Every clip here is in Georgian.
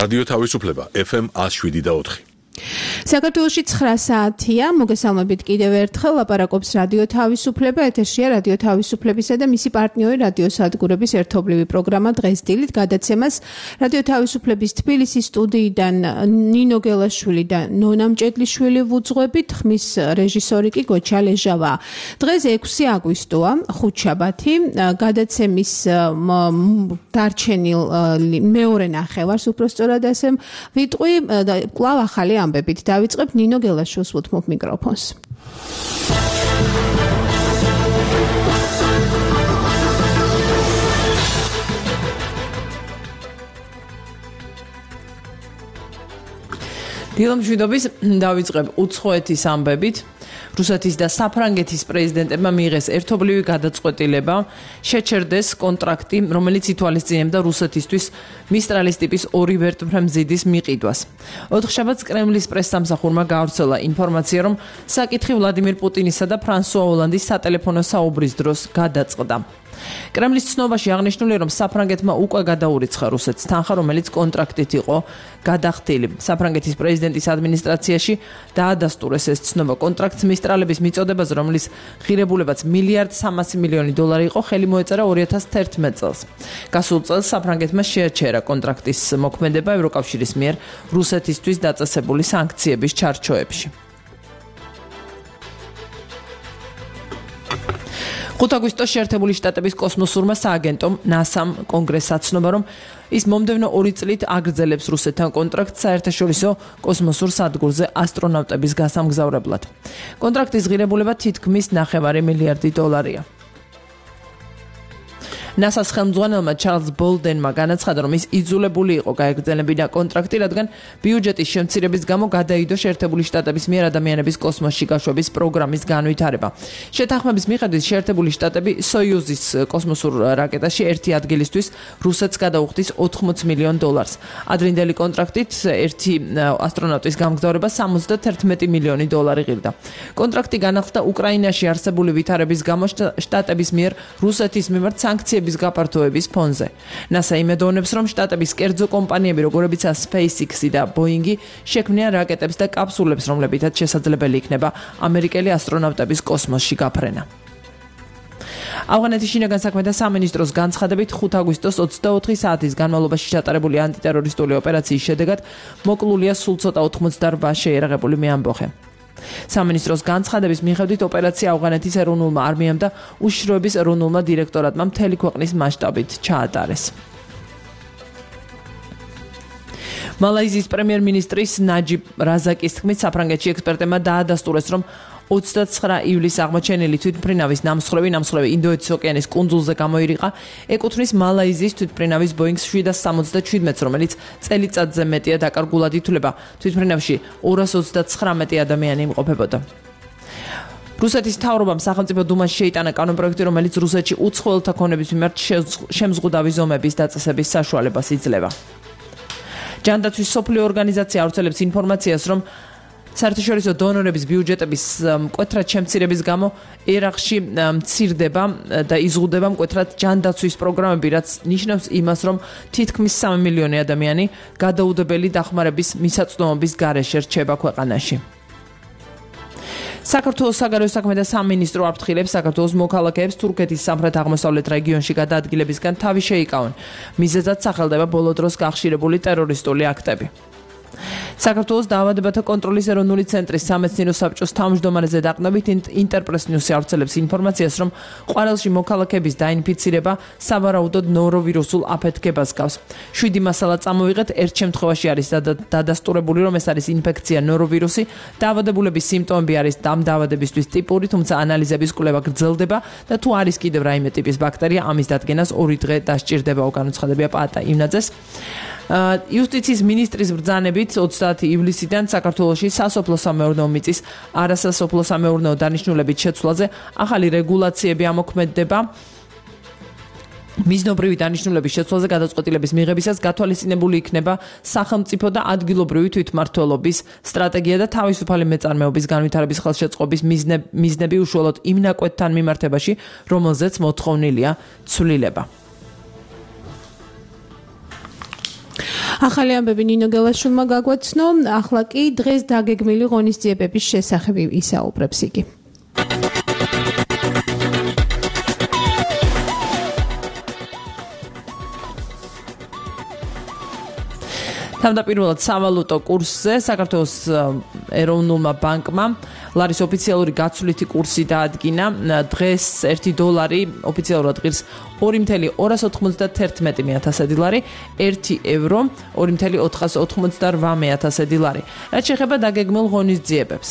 რადიო თავისუფლება FM 107.4. საქართველოში 9 საათია, მოგესალმებით კიდევ ერთხელ ლაპარაკობს რადიო თავისუფლება, ეთერშია რადიო თავისუფლებისა და მისი პარტნიორი რადიო სადგურების ერთობლივი პროგრამა დღეს დილით გადაცემას რადიო თავისუფლების თბილისის სტუდიიდან ნინო გელაშვილი და ნონა მჭედლიშვილი ვუძღვებით, ხმის რეჟისორი კი გოჩა ლეჟავა. დღეს 6 აგვისტოა, ხუთშაბათი, გადაცემის დარჩენილ მეორე ნახევარს უпроსწორად ასე ვიტყვი, კვლავ ახალი ამბებით დავიწყებ ნინო გელაშვილს ვუთმობ მიკროფონს. დილამშვიდობის დავიწყებ უცხოეთის ამბებით. რუსეთის და საფრანგეთის პრეზიდენტებმა მიიღეს ერთობლივი გადაწყვეტილება შეჩერდეს კონტრაქტი, რომელიც ითვალისწინებდა რუსეთისთვის მისტრალის ტიპის 2 ვერტმფრენ მზიდის მიყიდვას. 4 შაბათს კრემლის პრესსამსახურმა გაავრცელა ინფორმაცია, რომ საკითხი ვლადიმირ პუტინისა და ფრანსუა ოლანდის სატელეფონო საუბრის დროს გადაწყდა. კრემლის ცნობაში აღნიშნულია, რომ საფრანგეთმა უკვე გადაურიცხა რუსეთს თანხა, რომელიც კონტრაქტით იყო გადახდილი. საფრანგეთის პრეზიდენტის ადმინისტრაციაში დაადასტურეს ეს ცნობა კონტრაქტს მისტრალების მიწოდებაზე, რომლის ღირებულებაც $1.3 მილიარდი იყო, ხელი მოეწერა 2011 წელს. გასულ წელს საფრანგეთმა შეაჩერა კონტრაქტის მოქმედება ევროკავშირის მიერ რუსეთისთვის დაწესებული სანქციების ჩარჩოებში. 5 აგვისტოს შეერთებული შტატების კოსმოსურმა სააგენტომ NASA-მ კონგრესს აცნობა, რომ ის მომდევნო 2 წლით აგრძელებს რუსეთთან კონტრაქტს საერთაშორისო კოსმოსურ სადგურზე ასტრონავტების გასამგზავრებლად. კონტრაქტის ღირებულება თითქმის $9 მილიარდია. NASA-ს ხელმძღვანელმა ჩარლზ ბოლდენმა განაცხადა, რომ ის იძულებული იყო გაეგრძელებინა კონტრაქტი, რადგან ბიუჯეტის შემცირების გამო გადაიდო შეერთებული შტატების მიერ ადამიანების კოსმოსში გაშვების პროგრამის განვითარება. შეთანხმების მიხედვით შეერთებული შტატები სოიუზის კოსმოსურ რაკეტაში ერთი ადგილისთვის რუსეთს გადაუხდის $80 მილიონ. ადრინდელი კონტრაქტით ერთი ასტრონავტის გამგზავრება $71 მილიონი ღირდა. კონტრაქტი განახლდა უკრაინაში არსებული ვითარების გამო შტატების მიერ რუსეთის მიმართ სანქციების გაფართოების ფონზე. NASA იმედოვნებს, რომ შტატების კერძო კომპანიები, როგორებიცაა SpaceX და Boeing, შექმნიან რაკეტებს და კაფსულებს, რომლებითაც შესაძლებელი იქნება ამერიკელი ასტრონავტების კოსმოსში გაფრენა. ავღანეთის შინაგან საქმეთა სამინისტროს განცხადებით 5 აგვისტოს 24 საათის განმავლობაში ჩატარებული ანტიტერორისტული ოპერაციის შედეგად მოკლულია სულ ცოტა 88 შეიარაღებული მეამბოხე. სამინისტროს განცხადების მიხედვით ოპერაცია ავღანეთის ეროვნულმა არმიამ და უშიშროების ეროვნულმა დირექტორატმა მთელი ქვეყნის მასშტაბით ჩაატარეს. მალაიზიის პრემიერ-მინისტრის ნაჯიბ რაზაკის თქმით, საფრანგეთში ექსპერტებმა დაადასტურეს, რომ 29 ივლისს აღმოჩენილი თვითმფრინავის ნამსხვრევი ინდოეთის ოკეანის კუნძულზე გამოირიყა, ეკუთვნის მალაიზიის თვითმფრინავის Boeing 777-ს, რომელიც წელიწადზე მეტია დაკარგულად ითვლება. თვითმფრინავში 239 ადამიანი იმყოფებოდა. რუსეთის მთავრობამ სახელმწიფო დუმაში შეიტანა კანონპროექტი, რომელიც რუსეთში უცხოელთა ქონების მიმართ შემზღუდავი ზომების დაწესების საშუალებას იძლევა. ჯანდაცვის სოფლიო ორგანიზაცია ავრცელებს ინფორმაციას, რომ საერთაშორისო დონორების ბიუჯეტების მკვეთრად შემცირების გამო ერაყში მცირდება და იზღუდება მკვეთრად ჯანდაცვის პროგრამები, რაც ნიშნავს იმას, რომ თითქმის 3 მილიონი ადამიანი გადაუდებელი დახმარების მისაწვდომობის გარეშე რჩება ქვეყანაში. საქართველოს საგარეო საქმეთა სამინისტრო აფრთხილებს საქართველოს მოქალაქეებს თურქეთის სამხრეთ-აღმოსავლეთ რეგიონში გადაადგილებისგან თავი შეიკავონ. მიზეზად სახელდება ბოლო დროს გახშირებული ტერორისტული აქტები. საქართველოს დაავადებათა კონტროლის ეროვნული ცენტრის სამეცნიერო საბჭოს თავმჯდომარეზე დაყნობით ინტერპრეს ნიუსი ავრცელებს ინფორმაციას, რომ ყვარელში მოქალაქეების დაინფიცირება სავარაუდოდ ნოროვირუსულ აფეთქებას გავს. 7 მასალა წამოვიღეთ, ერთ შემთხვევაში არის დადასტურებული, რომ ეს არის ინფექცია ნოროვირუსი, დაავადებულების სიმპტომები არის ამ დაავადებისთვის ტიპური, თუმცა ანალიზების კვლევა გრძელდება და თუ არის კიდევ რაიმე ტიპის ბაქტერია, ამის დადგენას 2 დღე დასჭირდება, განუცხადებია პაატა იმნაძეს. იუსტიციის მინისტრის ბრძანებით 30 ივლისიდან საქართველოში სასოფლო-სამეურნეო მიწის არასასოფლო-სამეურნეო დანიშნულებით შეცვლაზე ახალი რეგულაციები ამოქმედდება. მიზნობრივი დანიშნულების შეცვლაზე გადაწყვეტილების მიღებისას გათვალისწინებული იქნება სახელმწიფო და ადგილობრივი თვითმმართველობის სტრატეგია და თავისუფალი მეწარმეობის განვითარების ხელშეწყობის მიზნები უშუალოდ იმ ნაკვეთთან მიმართებაში, რომელზეც მოთხოვნილია ცვლილება. ახალი ამბები ნინო გელაშვილმა გაგვაცნო, ახლა კი დღეს დაგეგმილი ღონისძიებების შესახებ ისაუბრებს იგი. თავდაპირველად სავალუტო კურსზე საქართველოს ეროვნულმა ბანკმა ლარის ოფიციალური გაცვლითი კურსი დაადგინა. დღეს $1 ოფიციალურად ღირს 2,291 ლარი, €1 2,488 ლარი. რაც შეეხება დაგეგმილ ღონისძიებებს.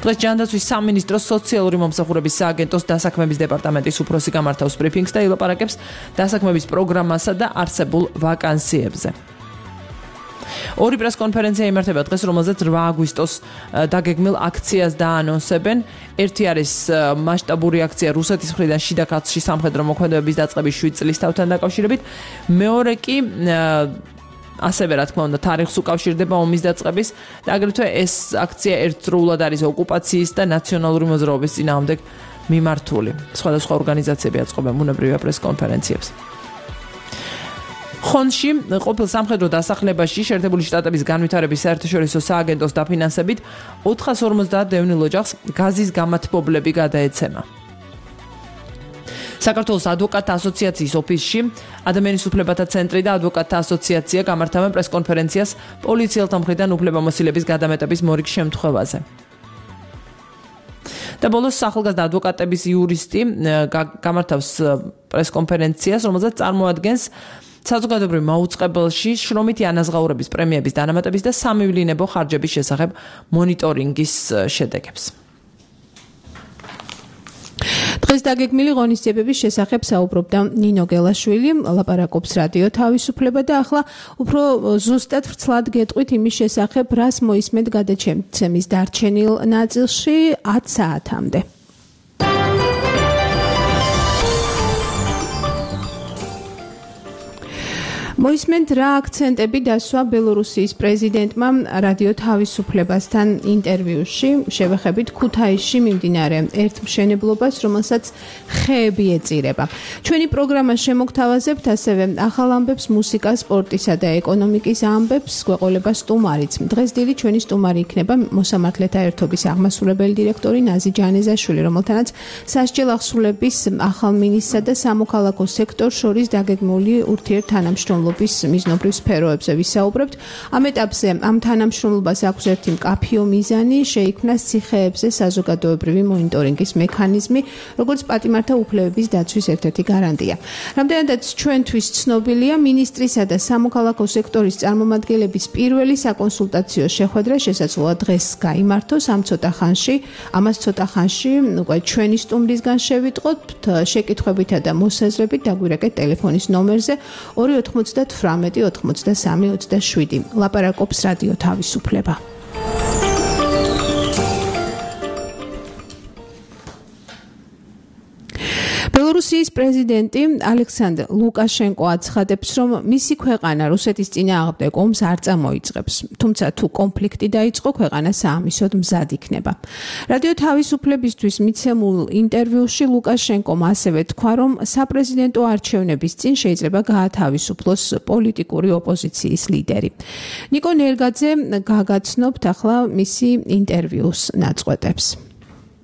დღეს ჯანდაცვის სამინისტროს სოციალური მომსახურების სააგენტოს დასაქმების დეპარტამენტის უფროსი გამართავს ბრიფინგს და ილაპარაკებს დასაქმების პროგრამასა და არსებულ ვაკანსიებზე. ორი პრესკონფერენცია იმართება დღეს, რომელზეც 8 აგვისტოს დაგეგმილ აქციას დაანონსებენ. ერთი არის მასშტაბური აქცია რუსეთის მხრიდან შიდა ქართლში სამხედრო მოქმედებების დაწყების 7 წლის თავთან დაკავშირებით. მეორე კი ასევე რა თქმა უნდა თარიღს უკავშირდება ომის დაწყების და აგრეთვე ეს აქცია ერთდროულად არის ოკუპაციის და ნაციონალური მოძრაობის წინააღმდეგ მიმართული. სხვადასხვა ორგანიზაციები აწყობენ ბუნებრივია პრესკონფერენციებს. ხონში ყოფილ სამხედრო დასახლებაში შეერთებული შტატების განვითარების საერთაშორისო სააგენტოს დაფინანსებით 450 დევნილ ოჯახს გაზის გამათბობლები გადაეცემა. საქართველოს ადვოკატთა ასოციაციის ოფისში ადამიანის უფლებათა ცენტრი და ადვოკატთა ასოციაცია გამართავენ პრესკონფერენციას პოლიციელთა მხრიდან უფლებამოსილების გადამეტების მორიგ შემთხვევაზე. და ბოლოს ახალგაზრდა ადვოკატების იურისტი გამართავს პრესკონფერენციას, რომელზეც წარმოადგენს საზოგადოებრივ მაუწყებელში შრომითი ანაზღაურების პრემიების დანამატების და სამივლინებო ხარჯების შესახებ მონიტორინგის შედეგებს. დღეს დაგეგმილი ღონისძიებების შესახებ საუბრობდა ნინო გელაშვილი, ლაპარაკობს რადიო თავისუფლება და ახლა უფრო ზუსტად ვრცლად გეტყვით იმის შესახებ, რას მოისმენთ გადაცემის დარჩენილ ნაწილში 10 საათამდე. მოისმენთ რა აქცენტები დასვა ბელორუსიის პრეზიდენტმა რადიო თავისუფლებასთან ინტერვიუში. შევეხებით ქუთაისში მიმდინარე ერთმშენებლობას, რომელსაც ხეები ეწირება. ჩვენი პროგრამა შემოგთავაზებთ ასევე ახალ ამბებს, მუსიკას, სპორტისა და ეკონომიკის ამბებს, გვეყოლება სტუმარიც. დღეს დილით ჩვენი სტუმარი იქნება მოსამართლეთა ერთობის აღმასრულებელი დირექტორი ნაზი ჯანეზაშვილი, რომელთანაც სასჯელ ახსულების ახალ მინისტრსა და სამოქალაქო სექტორს შორის დაგეგმული ურთიერთთანამშრომლობის მიზნობრივ სფეროებზე ვისაუბრებთ. ამ ეტაპზე ამ თანამშრომლობას აქვს ერთი მკაფიო მიზანი, შეიქმნას ციხეებზე საზოგადოებრივი მონიტორინგის მექანიზმი, როგორც პატიმართა უფლებების დაცვის ერთ-ერთი გარანტია. რამდენადაც ჩვენთვის ცნობილია, მინისტრისა და სამოქალაქო სექტორის წარმომადგენლების პირველი საკონსულტაციო შეხვედრა შესაძლოა დღეს გაიმართოს ამას ცოტა ხანში უკვე ჩვენი სტუმრისგან შევიტყოთ შეკითხვებითა და მოსაზრებით დაგვირეკეთ ტელეფონის ნომერზე 298 93 27. ლაპარაკობს რადიო თავისუფლება. ბელორუსიის პრეზიდენტი ალექსანდრ ლუკაშენკო აცხადებს, რომ მისი ქვეყანა რუსეთის წინააღმდეგ ომს არ წამოიწყებს, თუმცა თუ კონფლიქტი დაიწყო, ქვეყანა საამისოდ მზად იქნება. რადიო თავისუფლებისთვის მიცემულ ინტერვიუში ლუკაშენკომ ასევე თქვა, რომ საპრეზიდენტო არჩევნების წინ შეიძლება გაათავისუფლოს პოლიტიკური ოპოზიციის ლიდერი. ნიკო ნერგაძე გაგაცნობთ ახლა მისი ინტერვიუს ნაწყვეტებს.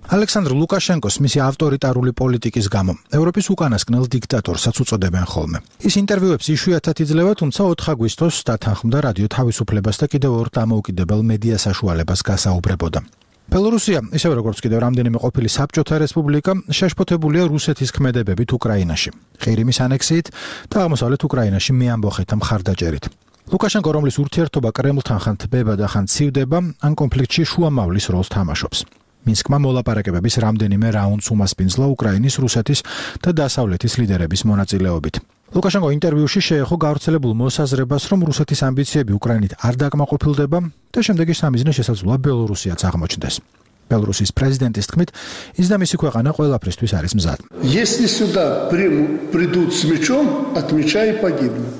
ალექსანდრ ლუკაშენკოს მისი ავტორიტარული პოლიტიკის გამო ევროპის უკანასკნელ დიქტატორსაც უწოდებენ ხოლმე. ის ინტერვიუებს იშვიათად იძლევა, თუმცა 4 აგვისტოს დათანხმდა რადიო თავისუფლებას და კიდევ ორ დამოუკიდებელ მედია საშუალებას გასაუბრებოდა. ბელორუსია, ისევე როგორც კიდევ რამდენიმე ყოფილი საბჭოთა რესპუბლიკა, შეშფოთებულია რუსეთის ქმედებებით უკრაინაში, ყირიმის ანექსიით და აღმოსავლეთ უკრაინაში მეამბოხეთა მხარდაჭერით. ლუკაშენკო, რომლის ურთიერთობა კრემლთან ხან თბება და ხან ცივდება, ამ კონფლიქტში შუამავლის როლს თამაშობს. მინსკმა მოლაპარაკებების რამდენიმე რაუნდს უმასპინძლა უკრაინის, რუსეთის და დასავლეთის ლიდერების მონაწილეობით. ლუკაშენკო ინტერვიუში შეეხო გავრცელებულ მოსაზრებას, რომ რუსეთის ამბიციები უკრაინით არ დაკმაყოფილდება და შემდეგი სამიზნე შესაძლოა ბელორუსიაც აღმოჩნდეს. ბელორუსის პრეზიდენტის თქმით, ის და მისი ქვეყანა ყველაფრისთვის არის მზად. Если сюда придут с мечом, отмечай и погибнут.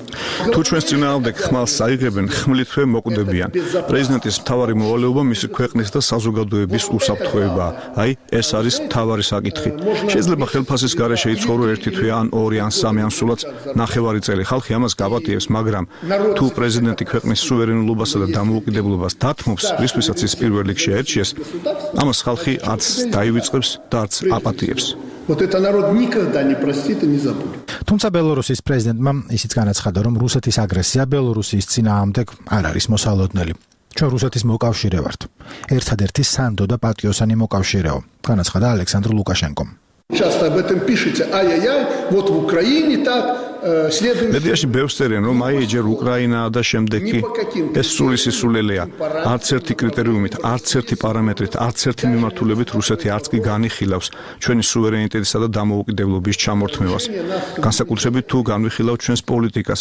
თუ ჩვენს წინააღმდეგ ხმალს აიღებენ, ხმლითვე მოკვდებიან. პრეზიდენტის მთავარი მოვალეობა მისი ქვეყნის და საზოგადოების უსაფრთხოებაა. აი, ეს არის მთავარი საკითხი. შეიძლება ხელფასის გარეშე იცხოვრო ერთი თვე ან ორი ან სამი ან სულაც ნახევარი წელი. ხალხი ამას გაპატიებს, მაგრამ თუ პრეზიდენტი ქვეყნის სუვერენულობასა და დამოუკიდებლობას დათმობს, რისთვისაც ის პირველ რიგში აერჩიეს, ამას ხალხი არც დაივიწყებს და არც აპატიებს. Вот это народ никогда не простит и не забудет. თუმცა ბელორუსის პრეზიდენტმა ისიც განაცხადა, რომ რუსეთის აგრესია ბელორუსიის წინააღმდეგ არ არის მოსალოდნელი. ჩვენ რუსეთის მოკავშირე ვართ. ერთადერთი სანდო და პატიოსანი მოკავშირეო, განაცხადა ალექსანდრ ლუკაშენკომ. Часто об этом пишете. Ай-яй-яй, вот в Украине так, следующий. მედიაში ბევრს წერენ, რომ აი ჯერ უკრაინაა და შემდეგ კი ეს სული სისულელეა. არც ერთი კრიტერიუმით, არც ერთი პარამეტრით, არც ერთი მიმართულებით რუსეთი არც კი განიხილავს ჩვენი სუვერენიტეტისა და დამოუკიდებლობის ჩამორთმევას. განსაკუთრებით თუ განვიხილავთ ჩვენს პოლიტიკას.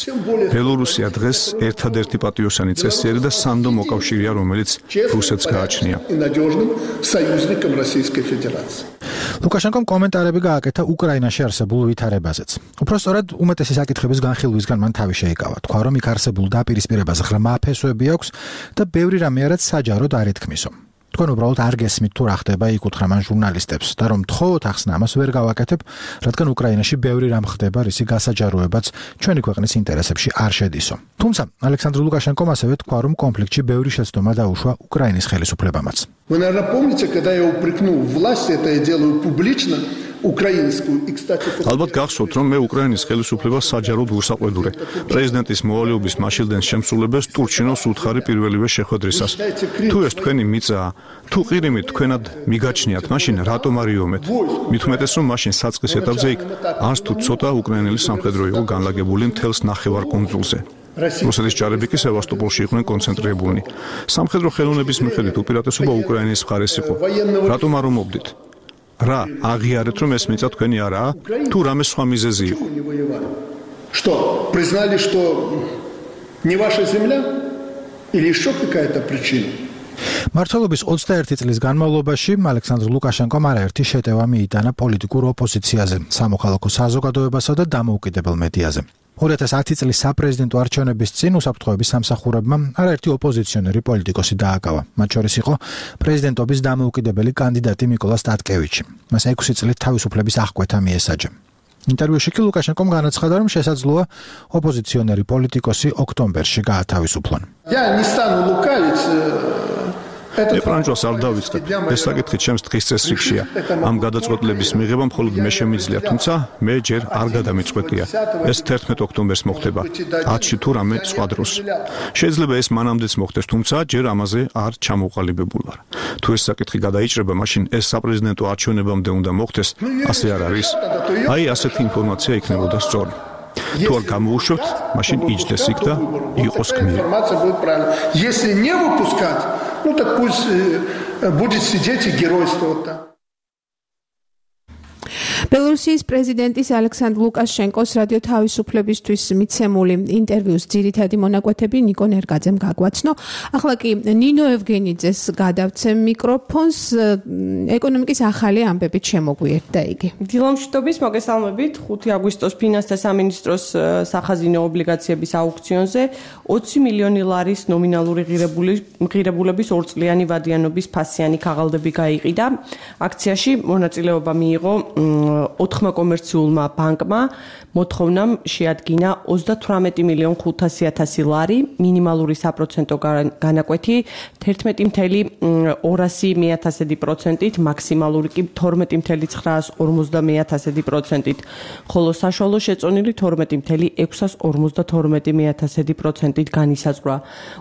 ბელორუსია დღეს ერთადერთი პატიოსანი წესიერი და სანდო მოკავშირეა, რომელიც რუსეთს გააჩნია. ლუკაშენკომ კომენტარები გააკეთა უკრაინაში არსებულ ვითარებაზეც. უпростоრად უმეტესი საკითხების განხილვისგან მან თავი შეიკავა. თქვა, რომ იქ არსებულ დაპირისპირებას ღრმა ფესვები აქვს და ბევრი რამე არაც საჯაროდ არ ითქმისო. თქვენ უბრალოდ არ გესმით თუ რა ხდება, იკუთხრა მან ჟურნალისტებს და რომ თხოვოთ ახსნა ამას ვერ გავაკეთებ, რადგან უკრაინაში ბევრი რამ ხდება, რისი გასაჯაროებაც ჩვენი ქვეყნის ინტერესებში არ შედისო. თუმცა ალექსანდრ ლუკაშენკომ ასევე თქვა, რომ კონფლიქტში ბევრი შეცდომა დაუშვა უკრაინის ხელისუფლებამაც. Вы, наверное, помните, когда я упрекнул власть, это я делаю публично, украинскую. И, кстати, ალბათ გახსოვთ, რომ მე უკრაინის ხელისუფლებას საჯაროდ ვუსაყვედურე. პრეზიდენტის მოვალეობის მაშილდენის შემსრულებელს ტურჩინოს უთხარი პირველივე შეხვედრისას. თუ ეს თქვენი მიწაა, თუ ყირიმით თქვენად მიგაჩნიათ, მაშინ რატომ არ იომეთ? მით უმეტეს, რომ მაშინ საწყის ეტაპზე იქ არც თუ ცოტა უკრაინელი სამხედრო იყო განლაგებული მთელს ნახევარკუნძულზე. რუსეთის ჯარები კი სევასტოპოლში იყვნენ კონცენტრირებულნი. სამხედრო ხელოვნების მიხედვით უპირატესობა უკრაინის მხარეს იყო. რატომ არ ომობდით? რა აღიარეთ, რომ ეს მიწა თქვენი არაა? თუ რამე სხვა მიზეზი იყო? Что, признали, что не ваша земля? Или еще какая-то причина? მართლობის 21 წლის განმავლობაში ალექსანდრ ლუკაშენკომ არაერთი შეტევა მიიტანა პოლიტიკურ ოპოზიციაზე, სამოქალაქო საზოგადოებასა და დამოუკიდებელ მედიაზე. 2010 წლის საპრეზიდენტო არჩევნების წინ უსაფრთხოების სამსახურებმა არაერთი ოპოზიციონერი პოლიტიკოსი დააკავა. მათ შორის იყო პრეზიდენტობის დამოუკიდებელი კანდიდატი მიკოლა სტატკევიჩი. მას 6 წლით თავისუფლების აღკვეთა მიესაჯა. ინტერვიუში კი ლუკაშენკომ განაცხადა, რომ შესაძლოა ოპოზიციონერი პოლიტიკოსი ოქტომბერში გაათავისუფლონ. Я не стану лукавить. ეპრანჯოს არ დავიწყებ. ეს საკითხი ჩემს დღის წესრიგშია. ამ გადაწყვეტილების მიღება მხოლოდ მე შემიძლია, თუმცა მე ჯერ არ გადამიწყვეტია. ეს 11 ოქტომბერს მოხდება. 10-ში თუ რამე სხვა დროს. შეიძლება ეს მანამდეც მოხდეს, თუმცა ჯერ ამაზე არ ჩამოყალიბებულ ვარ. თუ ეს საკითხი გადაიჭრება, მაშინ ეს საპრეზიდენტო არჩევნებამდე უნდა მოხდეს, ასე არ არის. აი ასეთი ინფორმაცია იქნებოდა სწორი. თუ არ გამოუშვებთ, მაშინ იჯდეს იქ და იყოს გმირი. Если не выпускать, ну так пусть будет сидеть и геройствовать там. ბელორუსიის პრეზიდენტის ალექსანდრ ლუკაშენკოს რადიო თავისუფლებისთვის მიცემული ინტერვიუს ძირითადი მონაკვეთები ნიკო ნერგაძემ გაგვაცნო. ახლა კი ნინო ევგენიძეს გადავცემ მიკროფონს, ეკონომიკის ახალი ამბებით შემოგვიერთდა იგი. დილამშვიდობის მოგესალმებით. 5 აგვისტოს ფინანსთა სამინისტროს სახაზინო ობლიგაციების აუქციონზე 20 მილიონი ლარის ნომინალური ღირებულების ორწლიანი ვადიანობის ფასიანი ქაღალდები გაიყიდა. აქციაში მონაწილეობა მიიღო 4 კომერციულმა ბანკმა, მოთხოვნამ შეადგინა 38.500.000 ლარი, მინიმალური საპროცენტო განაკვეთი 11.200%-ით, მაქსიმალური კი 12.950%-ით, ხოლო საშუალო შეწონილი 12.652%-ით განისაზღვრა.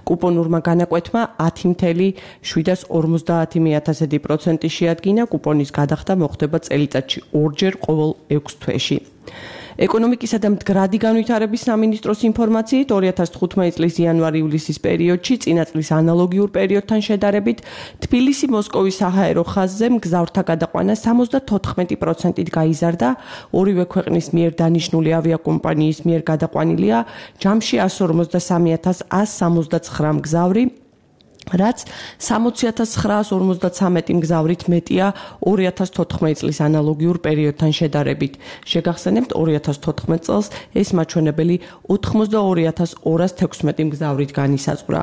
კუპონურმა განაკვეთმა 10.750% შეადგინა, კუპონის გადახდა მოხდება წელიწადში ორჯერ ყოველ 6 თვეში. ეკონომიკისა და მდგრადი განვითარების სამინისტროს ინფორმაციით 2015 წლის იანვარ-ივლისის პერიოდში წინა წლის ანალოგიურ პერიოდთან შედარებით თბილისი-მოსკოვის საჰაერო ხაზზე მგზავრთა გადაყვანა 74%-ით გაიზარდა, ორივე ქვეყნის მიერ დანიშნული ავიაკომპანიის მიერ გადაყვანილია ჯამში 143.169 მგზავრი, რაც 60,953 მგზავრით მეტია 2014 წლის ანალოგიურ პერიოდთან შედარებით. შეგახსენებთ 2014 წელს ეს მაჩვენებელი 82,216 მგზავრით განისაზღვრა.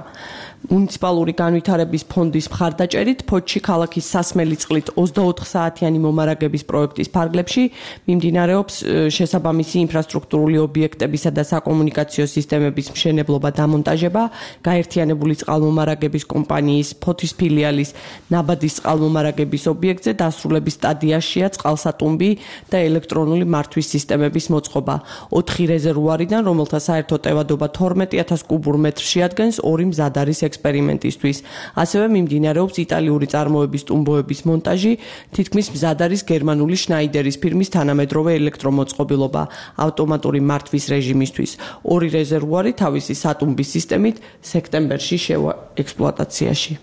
მუნიციპალური განვითარების ფონდის მხარდაჭერით ფოთში ქალაქის სასმელი წყლით 24 საათიანი მომარაგების პროექტის ფარგლებში მიმდინარეობს შესაბამისი ინფრასტრუქტურული ობიექტებისა და საკომუნიკაციო სისტემების მშენებლობა დამონტაჟება, გაერთიანებული წყალმომარაგების კომპანიის ფოთის ფილიალის ნაბადის წყალმომარაგების ობიექტზე დასრულების სტადიაშია წყალსატუმბი და ელექტრონული მართვის სისტემების მოწყობა. 4 რეზერვუარიდან, რომელთა საერთო ტევადობა 12,000 კუბურ მეტრს შეადგენს, 2 მზად არის ექსპერიმენტისთვის. ასევე მიმდინარეობს იტალიური წარმოების ტუმბოების მონტაჟი, თითქმის მზად არის გერმანული შნაიდერის ფირმის თანამედროვე ელექტრომოწყობილობა ავტომატური მართვის რეჟიმისთვის. 2 რეზერვუარი თავისი სატუმბის სისტემით სექტემბერში შევა ექსპლუატაციაში.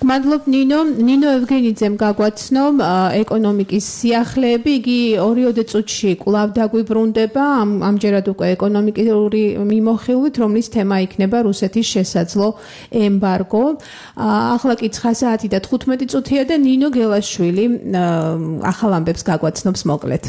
გმადლობ ნინო ევგენიძემ გაგვაცნო ეკონომიკის სიახლეები. იგი 2 წუთში კვლავ დაგვიბრუნდება ამჯერად უკვე ეკონომიკური მიმოხილვით, რომლის თემა იქნება რუსეთის შესაძლო ემბარგო. ახლა კი 9 საათი და 15 წუთია და ნინო გელაშვილი ახალ ამბებს გაგვაცნობს მოკლედ.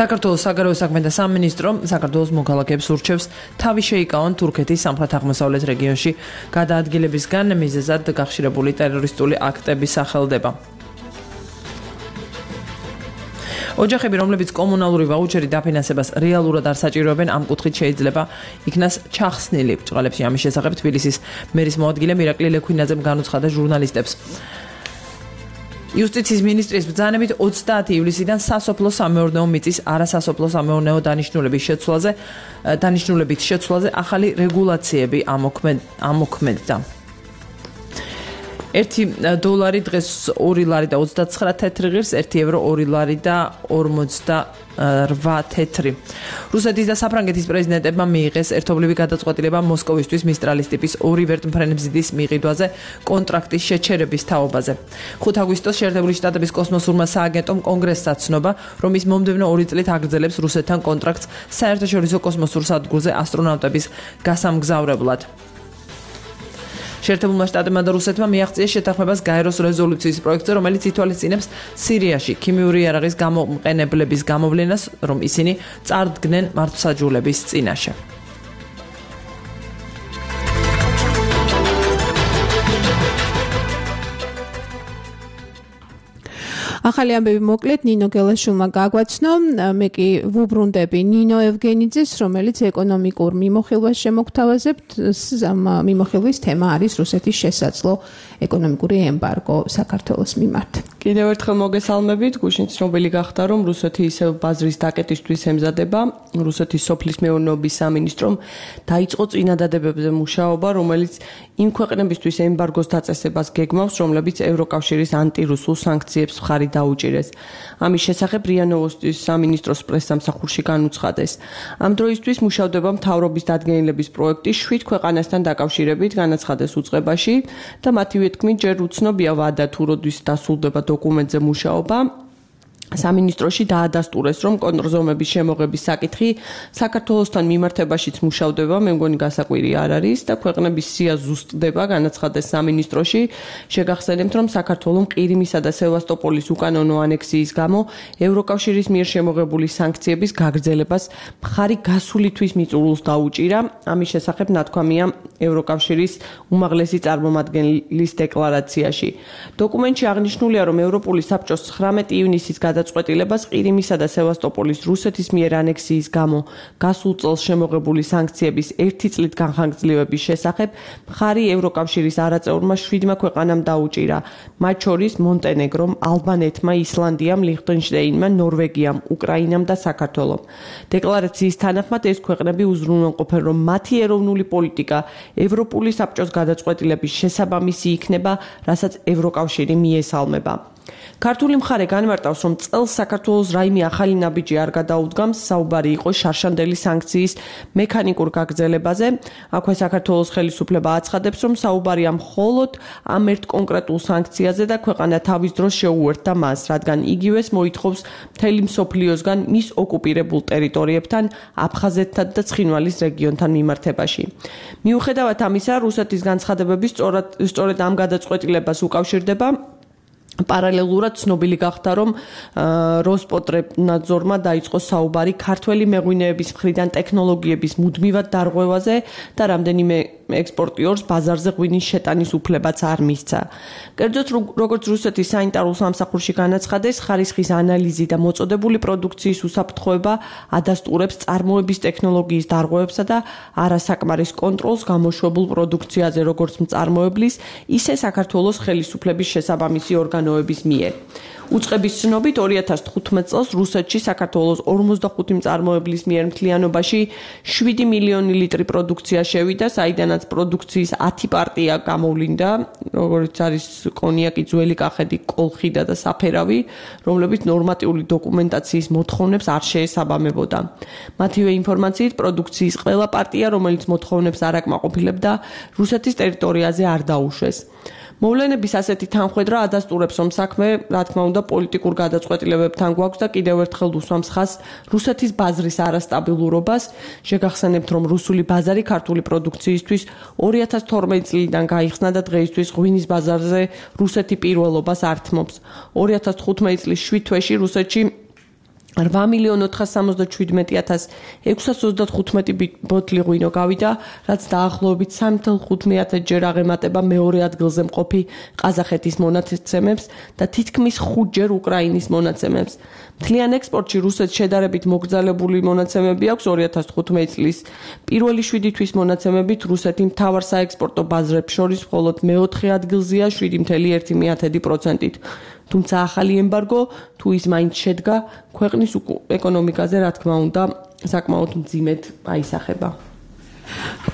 საქართველოს საგარეო საქმეთა სამინისტრო საქართველოს მოქალაქეებს ურჩევს თავი შეიკავონ თურქეთის სამხრეთ-აღმოსავლეთ რეგიონში გადაადგილებისგან მიზეზად გახშირებული ტერორისტული აქტების სახელდება. ოჯახები, რომლებიც კომუნალური ვაუჩერი დაფინანსებას რეალურად არ საჭიროებენ, ამ კუთხით შეიძლება იქნას ჩახსნილი. ბრწყალებში ამის შესახებ თბილისის მერის მოადგილე მირაკლი ლექვინაძემ განუცხადა ჟურნალისტებს. იუსტიციის მინისტრის ბრძანებით 30 ივლისიდან სასოფლო-სამეურნეო მიწის არასასოფლო-სამეურნეო დანიშნულებით შეცვლაზე ახალი რეგულაციები ამოქმედდა. $1 დღეს 2 ლარი და 29 თეთრი ღირს, €1 2 ლარი და 48 თეთრი. რუსეთის და საფრანგეთის პრეზიდენტებმა მიიღეს ერთობლივი გადაწყვეტილება მოსკოვისთვის მისტრალის ტიპის 2 ვერტმფრენებზიდის მიყიდვაზე კონტრაქტის შეჩერების თაობაზე. 5 აგვისტოს შეერთებული შტატების კოსმოსურმა სააგენტომ კონგრესს აცნობა, რომ ის მომდევნო 2 წლით აგრძელებს რუსეთთან კონტრაქტს საერთაშორისო კოსმოსურ სადგურზე ასტრონავტების გასამგზავრებლად. შეერთებულმა შტატებმა და რუსეთმა მიაღწიეს შეთანხმებას გაეროს რეზოლუციის პროექტზე, რომელიც ითვალისწინებს სირიაში ქიმიური იარაღის გამოყენებლების გამოვლენას, რომ ისინი წარდგნენ მართლმსაჯულების წინაშე. ახალი ამბები მოკლედ ნინო გელაშვილმა გაგვაცნო. მე კი ვუბრუნდები ნინო ევგენიძეს, რომელიც ეკონომიკურ მიმოხილვას შემოგთავაზებთ. მიმოხილვის თემა არის რუსეთის შესაძლო ეკონომიკური ემბარგო საქართველოს მიმართ. კიდევ ერთხელ მოგესალმებით. გუშინ ცნობილი გახდა, რომ რუსეთი ისევ ბაზრის დაკეტისთვის ემზადება. რუსეთის სოფლის მეურნეობის სამინისტრომ დაიწყო წინადადებებზე მუშაობა, რომელიც იმ ქვეყნებისთვის ემბარგოს დაწესებას გეგმავს, რომლებიც ევროკავშირის ანტირუსულ სანქციებს მხარი დაუჭირეს. ამის შესახებ РИА Новостის სამინისტროს პრესსამსახურში განუცხადეს. ამ დროისთვის მუშავდება მთავრობის დადგენილების პროექტი 7 ქვეყანასთან დაკავშირებით, განაცხადეს უწყებაში და მათივე თქმით, ჯერ უცნობია ვადა თუ როდის დასრულდება დოკუმენტზე მუშაობა. სამინისტროში დაადასტურეს, რომ კონტრზომების შემოღების საკითხი საქართველოსთან მიმართებაშიც მუშავდება, მე მგონი გასაკვირი არ არის და ქვეყნების სია ზუსტდება, განაცხადეს სამინისტროში. შეგახსენებთ, რომ საქართველოს ყირიმისა და სევასტოპოლის უკანონო ანექსიის გამო ევროკავშირის მიერ შემოღებული სანქციების გაგრძელებას მხარი გასული თვის მიწურულს დაუჭირა. ამის შესახებ ნათქვამია ევროკავშირის უმაღლესი წარმომადგენლის დეკლარაციაში. დოკუმენტში აღნიშნულია, რომ ევროპული საბჭოს 19 ივნისის გადაწყვეტილებას ყირიმისა და სევასტოპოლის რუსეთის მიერ ანექსიის გამო გასულ წელს შემოღებული სანქციების 1 წლით განხანგრძლივების შესახებ მხარი ევროკავშირის არაწევრმა 7 ქვეყანამ დაუჭირა, მათ შორის მონტენეგრომ, ალბანეთმა, ისლანდიამ, ლიხტენშტეინმა, ნორვეგიამ, უკრაინამ და საქართველომ. დეკლარაციის თანახმად ეს ქვეყნები უზრუნველყოფენ, რომ მათი ეროვნული პოლიტიკა ევროპული საბჭოს გადაწყვეტილების შესაბამისი იქნება, რასაც ევროკავშირი მიესალმება. ქართული მხარე განმარტავს, რომ წელს საქართველოს რაიმე ახალი ნაბიჯი არ გადაუდგამს, საუბარი იყო შარშანდელი სანქციის მექანიკურ გაგრძელებაზე. აქვე საქართველოს ხელისუფლება აცხადებს, რომ საუბარია მხოლოდ ამ ერთ კონკრეტულ სანქციაზე და ქვეყანა თავის დროს შეუერთდა მას, რადგან იგივეს მოითხოვს მთელი მსოფლიოსგან მის ოკუპირებულ ტერიტორიებთან, აფხაზეთთან და ცხინვალის რეგიონთან მიმართებაში. მიუხედავად ამისა, რუსეთის განცხადებები სწორედ ამ გადაწყვეტილებას უკავშირდება. პარალელურად ცნობილი გახდა, რომ როსპოტრებნადზორმა დაიწყო საუბარი ქართველი მეღვინეების მხრიდან ტექნოლოგიების მუდმივად დარღვევაზე და რამდენიმე ექსპორტიორს ბაზარზე ღვინის შეტანის უფლებაც არ მისცა. კერძოდ, როგორც რუსეთის საინტარო სამსახურში განაცხადეს, ხარისხის ანალიზი და მოწოდებული პროდუქციის უსაფრთხოება ადასტურებს წარმოების ტექნოლოგიის დარღვევებსა და არასაკმარის კონტროლს გამოშვებულ პროდუქციაზე, როგორც მწარმოებლის, ისე საქართველოს ხელისუფლების შესაბამისი ორგანოების მიერ. უწყების ცნობით 2015 წელს რუსეთში საქართველოს 45 მწარმოებლის მიერ მთლიანობაში 7 მილიონი ლიტრი პროდუქცია შევიდა, საიდანაც პროდუქციის 10 პარტია გამოვლინდა, როგორც არის კონიაკი, ძველი კახეთი, კოლხიდა და საფერავი, რომლებიც ნორმატიული დოკუმენტაციის მოთხოვნებს არ შეესაბამებოდა. მათივე ინფორმაციით, პროდუქციის ყველა პარტია, რომელიც მოთხოვნებს არ აკმაყოფილებდა, რუსეთის ტერიტორიაზე არ დაუშვეს. მოვლენების ასეთი თანხwebdriver ადასტურებს, რომ საქმე, რა თქმა უნდა, პოლიტიკურ გადაწყვეტილებებთან გვაქვს და კიდევ ერთხელ უსვამს ხაზს რუსეთის ბაზრის არასტაბილურობას. შეგახსენებთ, რომ რუსული ბაზარი ქართული პროდუქციისთვის 2012 წლიდან გაიხსნა და დღეისთვის ღვინის ბაზარზე რუსეთი პირველობას ართმობს. 2015 წლის 7 თვეში რუსეთში 8,477,625 ბოთლი ღვინო გავიდა, რაც დაახლოებით 3.5 ჯერ აღემატება მეორე ადგილზე მყოფი ყაზახეთის მონაცემებს და თითქმის 5 ჯერ უკრაინის მონაცემებს. მთლიან ექსპორტში რუსეთს შედარებით მოგრძალებული მონაცემები აქვს. 2015 წლის პირველი 7 თვის მონაცემებით რუსეთი მთავარ საექსპორტო ბაზრებს შორის მხოლოდ მეოთხე ადგილზეა 7.1%-ით. თუმცა ახალი ემბარგო თუ ის მაინც შედგა, ქვეყნის ეკონომიკაზე, რა თქმა უნდა, საკმაოდ მძიმედ აისახება.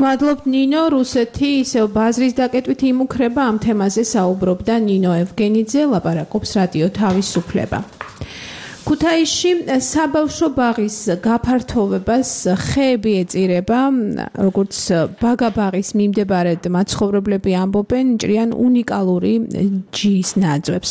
მადლობ ნინო, რუსეთი ისევ ბაზრის დაკეტვით იმუქრება, ამ თემაზე საუბრობდა ნინო ევგენიძე, ლაპარაკობს რადიო თავისუფლება. ქუთაისში საბავშვო ბაღის გაფართოვებას ხეები ეწირება, როგორც ბაგაბაღის მიმდებარედ მაცხოვრებლები ამბობენ, ჭრიან უნიკალური ჯის ნაძვებს.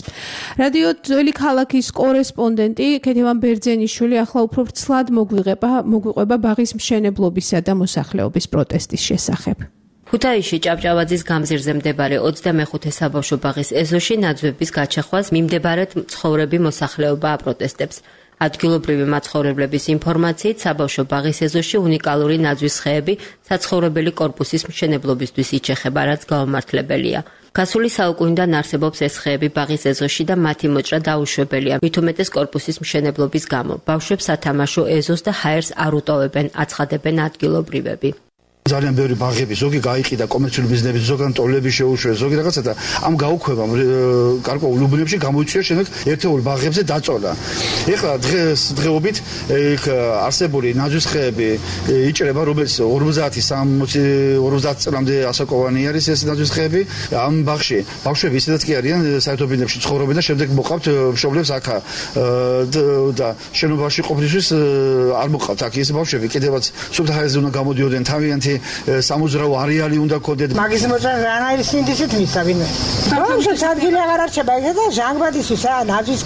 რადიო ძველი ქალაქის კორესპონდენტი ქეთევან ბერძენიშვილი ახლა უფრო ვრცლად მოგვიყვება ბაღის მშენებლობისა და მოსახლეობის პროტესტის შესახებ. ქუთაისში ჭავჭავაძის გამზირზე მდებარე 25 საბავშვო ბაღის ეზოში ნაძვების გაჩახვას მიმდებარედ მცხოვრები მოსახლეობა აპროტესტებს. ადგილობრივი მაცხოვრებლების ინფორმაციით, საბავშვო ბაღის ეზოში უნიკალური ნაძვის ხეები საცხოვრებელი კორპუსის მშენებლობისთვის იჩეხება, რაც გაუმართლებელია. გასული საუკუნიდან არსებობს ეს ხეები ბაღის ეზოში და მათი მოჭრა დაუშვებელია, მით უმეტეს კორპუსის მშენებლობის გამო. ბავშვებს სათამაშო ეზოს და ჰაერს არ უტოვებენ, აცხადებენ ადგილობრივები. ძალიან ბევრი ბაღები, ზოგი გაიყიდა კომერციული ბიზნესები, ზოგან ტოლები შეუშვეს, ზოგი რაღაცა და ამ გაუქმებამ გარკვეულ უბნებში გამოიწვია შემდეგ ერთეული ბაღებზე დაწოლა. ეხლა დღეობით არსებული ნაძვის ხეები იჭრება, რომელიც 50 წლამდე ასაკოვანი არის ეს ნაძვის ხეები. ამ ბაღში ბავშვები ისედაც კი არიან საერთო ბინებში ცხოვრობენ და შემდეგ მოყავთ მშობლებს აქ და შენობაში ყოფნისთვის არ მოყავთ აქ ეს ბავშვები კიდევაც სულ ჰაერზე უნდა გამოდიოდნენ თავიანთი სამოძრაო არეალი უნდა ქონდეთ. მაგის მოწა რანაირი სინდისით მისცა ვინმე. ბავშვებს ადგილი აღარ არჩება და ჟანგბადისთვის ნაძვის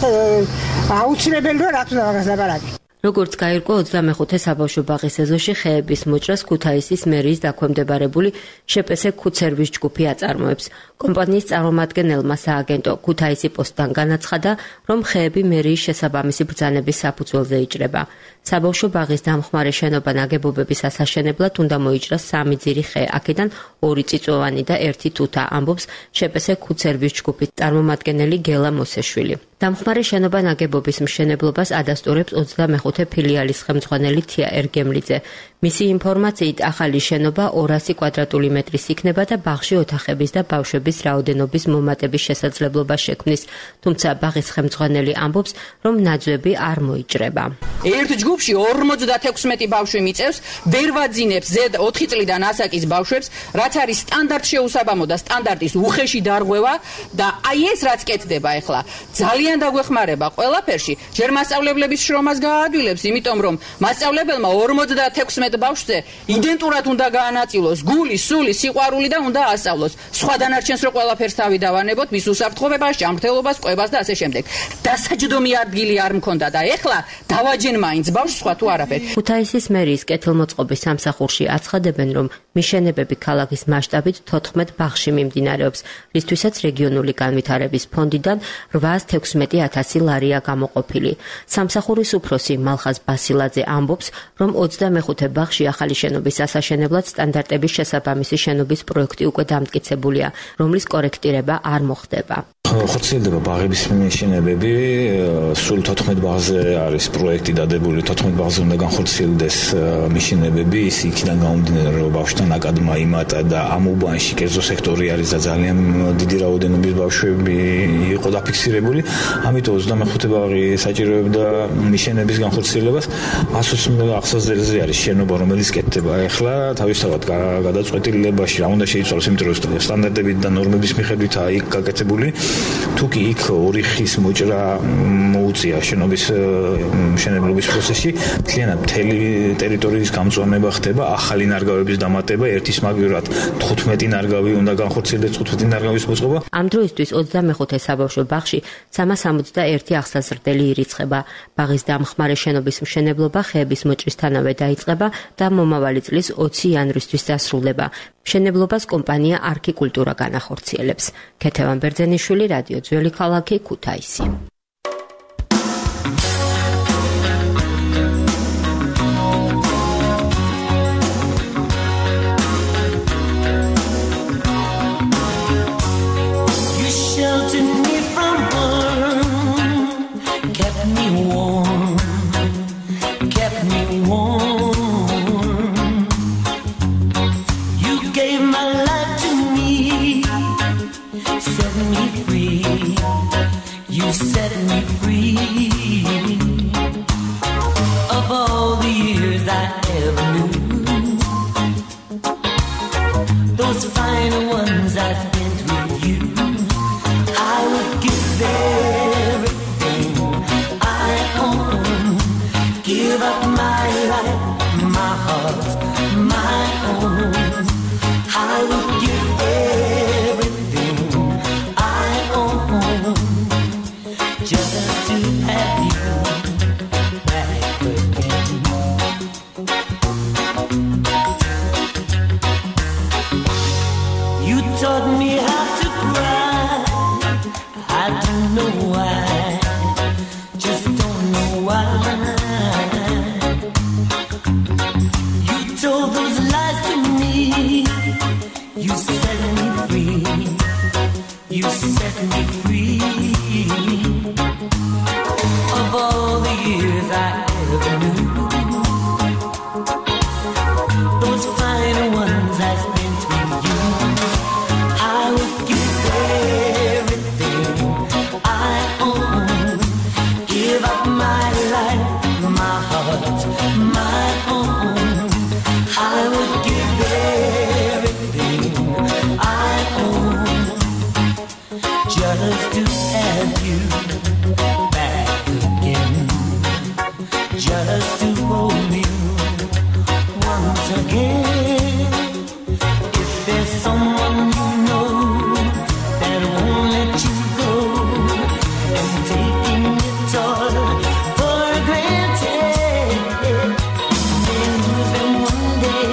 აუცილებელია რა თქმა უნდა მაგას ლაპარაკი. როგორც გაირკვა 25 საბავშვო ბაღის ეზოში ხეების მოჭრას ქუთაისის მერიის დაქვემდებარებული შეპესე ქუთსერვის ჯგუფი აწარმოებს. კომპანიის წარმომადგენელმა სააგენტო ქუთაისი პოსტთან განაცხადა, რომ ხეები მერიის შესაბამისი ბრძანების საფუძველზე იჭრება. საბავშვო ბაღის დამხმარე შენობა ნაგებობების ასაშენებლად უნდა მოიჭრას 3 ძირი ხე, აქედან 2 წიწვოვანი და 1 თუთა, ამბობს შეპესე ქუთსერვის ჯგუფის წარმომადგენელი გელა მოსეშვილი. დამხმარე შენობა ნაგებობის მშენებლობას ადასტურებს 25 ფილიალის ხელმძღვანელი თია ერგემლიძე. მისი ინფორმაციით, ახალი შენობა 200 კვადრატული მეტრის იქნება და ბაღში ოთახების და ბავშვების რაოდენობის მომატების შესაძლებლობა შექმნის. თუმცა ბაღის ხელმძღვანელი ამბობს, რომ ნაძვები არ მოიჭრება. ერთ ჯგუფში 56 ბავშვი მიწევს, ვერ ვაძინებს ზედ 4 წლიდან ასაკის ბავშვებს, რაც არის სტანდარტ შეუსაბამო და სტანდარტის უხეში დარღვევა და აი ეს რაც კეთდება ახლა, ძალიან დაგვეხმარება ყველაფერში. ჯერ მასწავლებლების შრომას გააადვილებს, იმიტომ რომ მასწავლებელმა 56 ბავშვზე იდენტურად უნდა გაანაწილოს გული, სული, სიყვარული და უნდა ასწავლოს. სხვა დანარჩენს რო ყველაფერს თავი დავანებოთ, მის უსაფრთხოებას, ჭამრთელობას, ყვებას და ასე შემდეგ. დასაჯდომი ადგილი არ მქონდა და ეხლა დავაჯენ მაინც ბავშვს, სხვა თუ არაფერი. ქუთაისის მერიის კეთილმოწყობის სამსახურში აცხადებენ, რომ მიშენებები ქალაქის მასშტაბით 14 ბაღში მიმდინარეობს, რისთვისაც რეგიონული განვითარების ფონდიდან 816.000 ლარია გამოყოფილი. სამსახურის უფროსი მალხაზ ბასილაძე ამბობს, რომ 25 ბაღში ახალი შენობის ასაშენებლად სტანდარტების შესაბამისი შენობის პროექტი უკვე დამტკიცებულია, რომლის კორექტირება არ მოხდება. ხორციელდება ბაღების მიშენებები, სულ 14 ბაღზე არის პროექტი დადებული, 14 ბაღზე უნდა განხორციელდეს მიშენებები, ის იქიდან გამომდინარე, რომ ბავშვთან აკადმა იმატა და ამ უბანში კერძო სექტორი არის და ძალიან დიდი რაოდენობის ბავშვები იყო დაფიქსირებული, ამიტომ 25 ბაღი საჭიროებდა მიშენების განხორციელებას. 120 ახსაზდელზე არის შენობა, რომელიც კეთდება ახლა, თავისთავად გადაწყვეტილებაში რა უნდა შეიცვალოს, იმიტომ რომ სტანდარტებით და ნორმების მიხედვითაა იქ გაკეთებული. თუ კი იქ ორი ხის მოჭრა მოუწია შენობის მშენებლობის პროცესში, მთლიანად მთელი ტერიტორიის გამწვანება ხდება, ახალი ნარგავების დამატება, ერთის მაგივრად 15 ნარგავი უნდა განხორციელდეს, 15 ნარგავის მოწყობა. ამ დროისთვის 25 საბავშვო ბაღში 361 ახსაზრდელი ირიცხება. ბაღის დამხმარე შენობის მშენებლობა ხეების მოჭრისთანავე დაიწყება და მომავალი წლის 20 იანვრისთვის დასრულდება. მშენებლობას კომპანია არქი კულტურა განახორციელებს. ქეთევან ბერძენიშვილი, რადიო ძველი ქალაქი, ქუთაისი. Set me free of all the years I ever knew. Those final ones I spent with you, I would give everything I own, give up my life, my heart, my own. I would give everything I own, just to have you back again. You taught me how to cry, I don't know why, just don't know why. You told those lies to me, you set me free, you set me free of all the years I ever knew. Those final ones I spent with you, I would give everything I own, give up my life, my heart, my own. I would give everything I own, just to have you back again, just to hold you once again. If there's someone you know that won't let you go, and taking it all for granted, then lose them one day,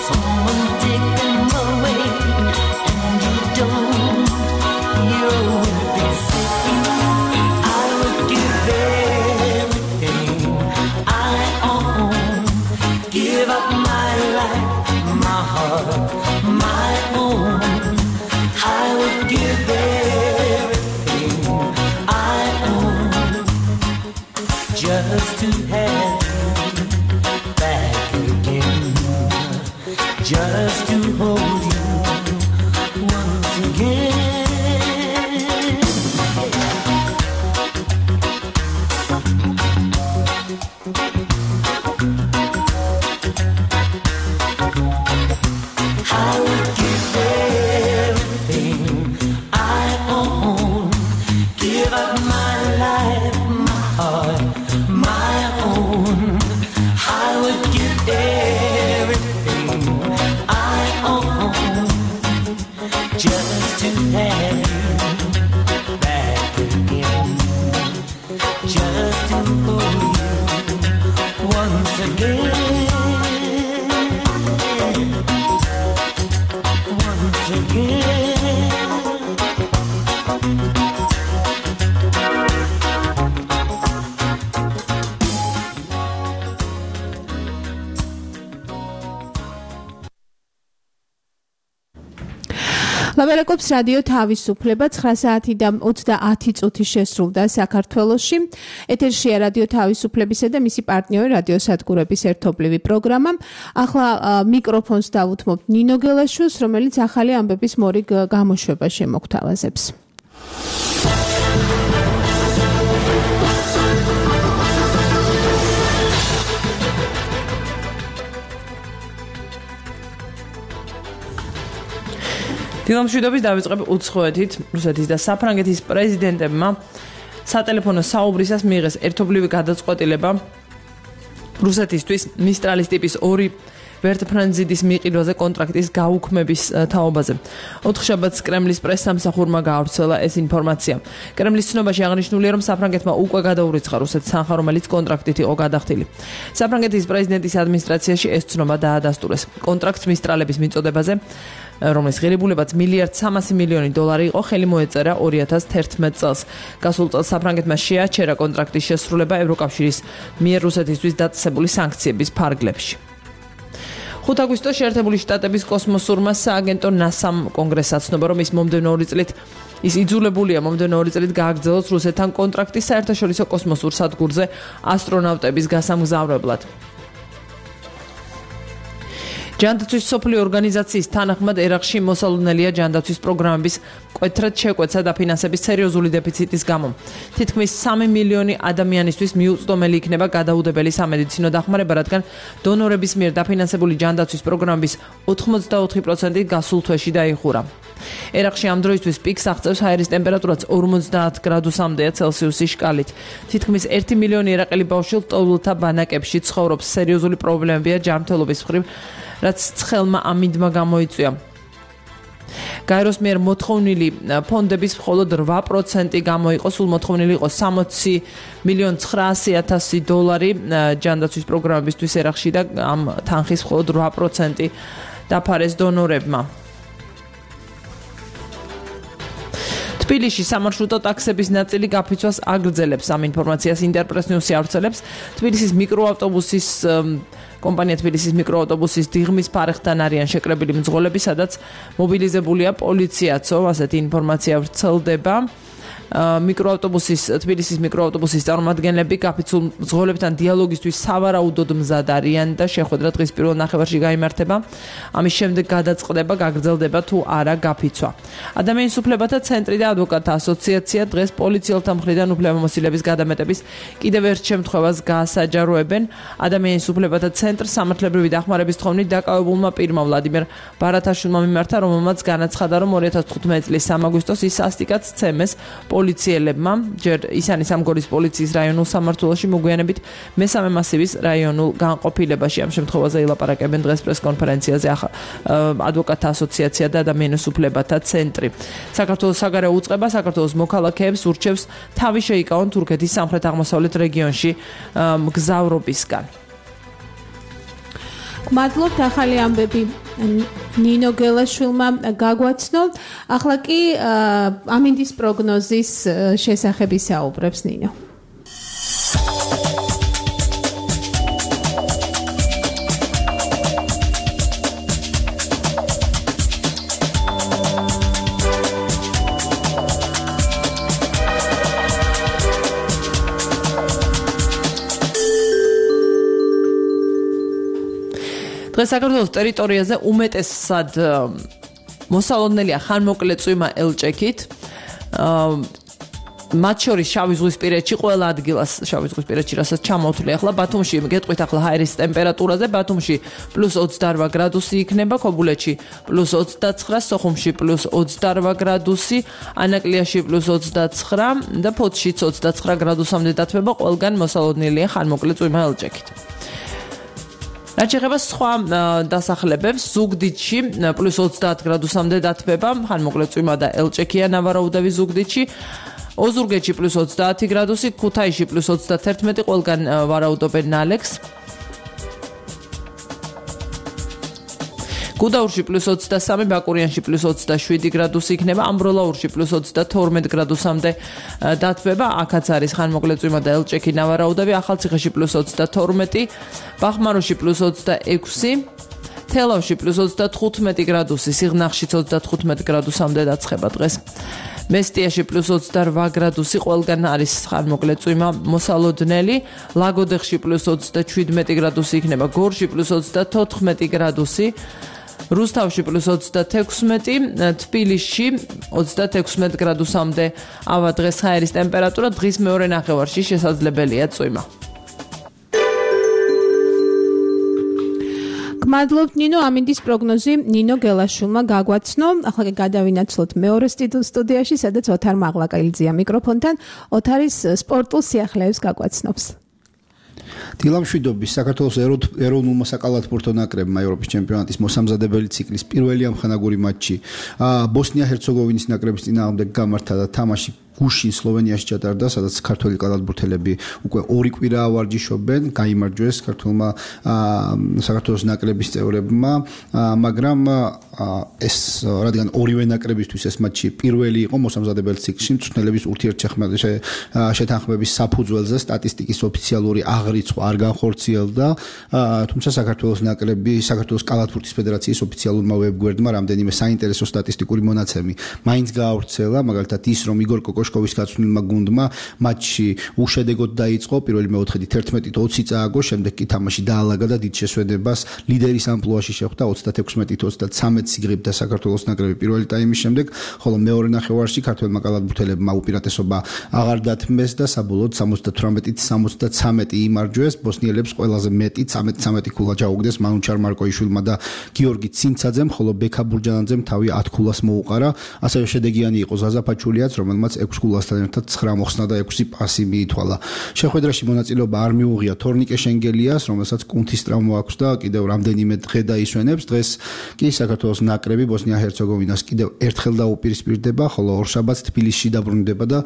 someone take them away, and you don't hear a word they say. I would give everything I own, give up my life, my heart, my own. I would give everything I own, just to hold you once again. I would give everything I own, give up my life, my heart, my own. I would give everything I own just to have you back again, just to hold you once again. ლაბარაკობს რადიო თავისუფლება 9 საათი და 30 წუთი შესრულდა საქართველოში. ეთერშია რადიო თავისუფლებისა და მისი პარტნიორი რადიო სადგურების ერთობლივი პროგრამა. ახლა მიკროფონს დავუთმობთ ნინო გელაშვილს, რომელიც ახალი ამბების მორიგ გამოშვება შემოგთავაზებს. დილამშვიდობის დავიწყებ უცხოეთით. რუსეთის და საფრანგეთის პრეზიდენტებმა სატელეფონო საუბრისას მიიღეს ერთობლივი გადაწყვეტილება რუსეთისთვის მისტრალის ტიპის 2 ვერტფრენზიდის მიყიდვაზე კონტრაქტის გაუქმების თაობაზე. ოთხშაბათს კრემლის პრესსამსახურმა გაავრცელა ეს ინფორმაცია. კრემლის ცნობაში აღნიშნულია, რომ საფრანგეთმა უკვე გადაურიცხა რუსეთს თანხა, რომელიც კონტრაქტით იყო გადახდილი. საფრანგეთის პრეზიდენტის ადმინისტრაციაში ეს ცნობა დაადასტურეს. კონტრაქტს მისტრალების მიწოდებაზე, რომლის ღირებულებაც $1.3 იყო, ხელი მოეწერა 2011 წელს. გასულ წელს საფრანგეთმა შეაჩერა კონტრაქტის შესრულება ევროკავშირის მიერ რუსეთისთვის დაწესებული სანქციების ფარგლებში. 5 აგვისტოს შეერთებული შტატების კოსმოსურმა სააგენტო NASA-მ კონგრესს აცნობა, რომ ის იძულებულია მომდევნო 2 წლით გააგრძელოს რუსეთთან კონტრაქტი საერთაშორისო კოსმოსურ სადგურზე ასტრონავტების გასამგზავრებლად. ჯანდაცვის სოფლიო ორგანიზაციის თანახმად ერაყში მოსალოდნელია ჯანდაცვის პროგრამების მკვეთრად შეკვეცა და ფინანსების სერიოზული დეფიციტის გამო. თითქმის 3 მილიონი ადამიანისთვის მიუწვდომელი იქნება გადაუდებელი სამედიცინო დახმარება, რადგან დონორების მიერ დაფინანსებული ჯანდაცვის პროგრამების 84% გასულ თვეში დაიხურა. ერაყში ამ დროისთვის პიკს აღწევს ჰაერის ტემპერატურაც 50 გრადუსამდეა ცელსიუსის შკალით. თითქმის 1 მილიონი ერაყელი ბავშვი ლტოლვილთა ბანაკებში ცხოვრობს. სერიოზული პრობლემებია ჯანმრთელობის მხრივ, რაც ცხელმა ამინდმა გამოიწვია. გაეროს მიერ მოთხოვნილი ფონდების მხოლოდ 8% გამოიყო, სულ მოთხოვნილი იყო $60,900,000 ჯანდაცვის პროგრამებისთვის ერაყში და ამ თანხის მხოლოდ 8% დაფარეს დონორებმა. თბილისში სამარშრუტო ტაქსების ნაწილი გაფიცვას აგრძელებს. ამ ინფორმაციას ინტერპრეს ნიუსი ავრცელებს. თბილისის მიკროავტობუსის კომპანია თბილისის მიკროავტობუსის დიღმის ფარეხთან არიან შეკრებილი მძღოლები, სადაც მობილიზებულია პოლიციაცო, ასეთი ინფორმაცია ვრცელდება. თბილისის მიკროავტობუსის წარმომადგენლები გაფიცულ მძღოლებთან დიალოგისთვის სავარაუდოდ მზად არიან და შეხვედრა დღის პირველ ნახევარში გაიმართება. ამის შემდეგ გადაწყდება, გაგრძელდება თუ არა გაფიცვა. ადამიანის უფლებათა ცენტრი და ადვოკატთა ასოციაცია დღეს პოლიციელთა მხრიდან უფლებამოსილების გადამეტების კიდევ ერთ შემთხვევას გაასაჯაროებენ. ადამიანის უფლებათა ცენტრს სამართლებრივი დახმარების თხოვნით დაკავებულმა პირმა ვლადიმერ ბარათაშვილმა მიმართა, რომელმაც განაცხადა, რომ 2015 წლის 3 აგვისტოს ის სასტიკად სცემეს პოლიციელებმა, ჯერ ისანის სამგორის პოლიციის რაიონულ სამმართველოში მოგვიანებით მესამე მასივის რაიონულ განყოფილებაში. ამ შემთხვევაზე ილაპარაკებენ დღეს პრესკონფერენციაზე ადვოკატთა ასოციაცია და ადამიანის უფლებათა ცენტრი. საქართველოს საგარეო უწყება საქართველოს მოქალაქეებს ურჩევს თავი შეიკავონ თურქეთის სამხრეთ-აღმოსავლეთ რეგიონში მგზავრობისგან. მადლობთ, ახალი ამბები ნინო გელაშვილმა გაგვაცნო. ახლა კი ამინდის პროგნოზის შესახებ ისაუბრებს ნინო. დღეს საქართველოს ტერიტორიაზე უმეტესად მოსალოდნელია ხანმოკლე წვიმა ელჭექით. მათ შორის შავი ზღვისპირეთში ყველა ადგილას შავი ზღვისპირეთში რასაც ჩამოვთვლი ახლა ბათუმში გეტყვით ახლა ჰაერის ტემპერატურაზე ბათუმში +28 გრადუსი იქნება ქობულეთში +29 სოხუმში +28 გრადუსი ანაკლიაში +29 და ფოთშიც 29 გრადუსამდე დათბება ყველგან მოსალოდნელია ხანმოკლე წვიმა ელჭექით რაც შეეხება სხვა დასახლებებს ზუგდიდში +30 გრადუსამდე დათბება ხანმოკლე წვიმა და ელჭექია ნავარაუდევი ზუგდიდში ოზურგეთში +30 გრადუსი, ქუთაისში +31, ყველგან ვარაუდობენ ნალექს. გუდაურში +23, ბაკურიანში +27 გრადუსი იქნება, ამბროლაურში +32 გრადუსამდე დათბება, აქაც არის ხანმოკლე წვიმა და ელჭექი ნავარაუდები, ახალციხეში +32, ბახმაროში +26, თელავში +35 გრადუსი, სიღნაღშიც 35 გრადუსამდე დაცხება დღეს. მესტიაში +28 გრადუსი ყველგან არის ხანმოკლე წვიმა მოსალოდნელი, ლაგოდეხში +27 გრადუსი იქნება, გორში +34 გრადუსი, რუსთავში +36, თბილისში 36 გრადუსამდე ავა დღეს ჰაერის ტემპერატურა, დღის მეორე ნახევარში შესაძლებელია წვიმა. გმადლობთ ნინო, ამინდის პროგნოზი ნინო გელაშვილმა გაგვაცნო. ახლა გადავინაცვლოთ მეორე სტუდიაში, სადაც ოთარ მაღლაკელიძეა მიკროფონთან. ოთარის სპორტულ სიახლეებს გაგვაცნობს. დილამშვიდობის საქართველოს ეროვნულმა საკალათბურთო ნაკრებმა ევროპის ჩემპიონატის მოსამზადებელი ციკლის პირველი ამხანაგური მატჩი ბოსნია-ჰერცეგოვინის ნაკრების წინააღმდეგ გამართა და თამაში გუშინ სლოვენიაში ჩატარდა, სადაც ქართველი კალათბურთელები უკვე 2 კვირა ვარჯიშობენ, გაიმარჯვეს ქართველმა საქართველოს ნაკრების წევრებმა, მაგრამ ეს რადგან ორივე ნაკრებისთვის ეს მატჩი პირველი იყო მოსამზადებელ ციკლში, მწვრთნელების ურთიერთშეთანხმების საფუძველზე სტატისტიკის ოფიციალური აღრიცხვა არ განხორციელდა, თუმცა საქართველოს ნაკრები, საქართველოს კალათბურთის ფედერაციის ოფიციალურმა ვებგვერდმა რამდენიმე საინტერესო სტატისტიკური მონაცემი მაინც გაავრცელა, მაგალითად ის, რომ იგორ კოშკოვის გაცვლილმა გუნდმა მატჩი უშედეგოდ დაიწყო, პირველი მეოთხედი 11-20 წააგო, შემდეგ კი თამაში დაალაგა და დიდ შესვენებას ლიდერის ამპლუაში შეხვდა 36-23 სიგრიბდა საქართველოს ნაკრები პირველი ტაიმის შემდეგ, ხოლო მეორე ნახევარში ქართველმა კალათბურთელებმა უპირატესობა აღარ დათმეს და საბოლოოდ 78-73 იმარჯვეს, ბოსნიელებს ყველაზე მეტი 13 ქულა ჩაუგდეს მანუჩარ მარკოიშვილმა და გიორგი ცინცაძემ, ხოლო ბექა ბურჯანაძემ თავი 10 ქულას მოუყარა, ასევე შედეგიანი იყო ზაზა ფაჩულიაც, რომელმაც 6 ქულასთან ერთად 9 მოხსნა და 6 პასი მიითვალა. შეხვედრაში მონაწილეობა არ მიუღია თორნიკე შენგელიას, რომელსაც კუნთის ტრავმა აქვს და კიდევ რამდენიმე დღე დაისვენებს. დღეს კი საქართველოს ნაკრები ბოსნია-ჰერცეგოვინას კიდევ ერთხელ დაუპირისპირდება, ხოლო ორშაბათს თბილისში დაბრუნდება და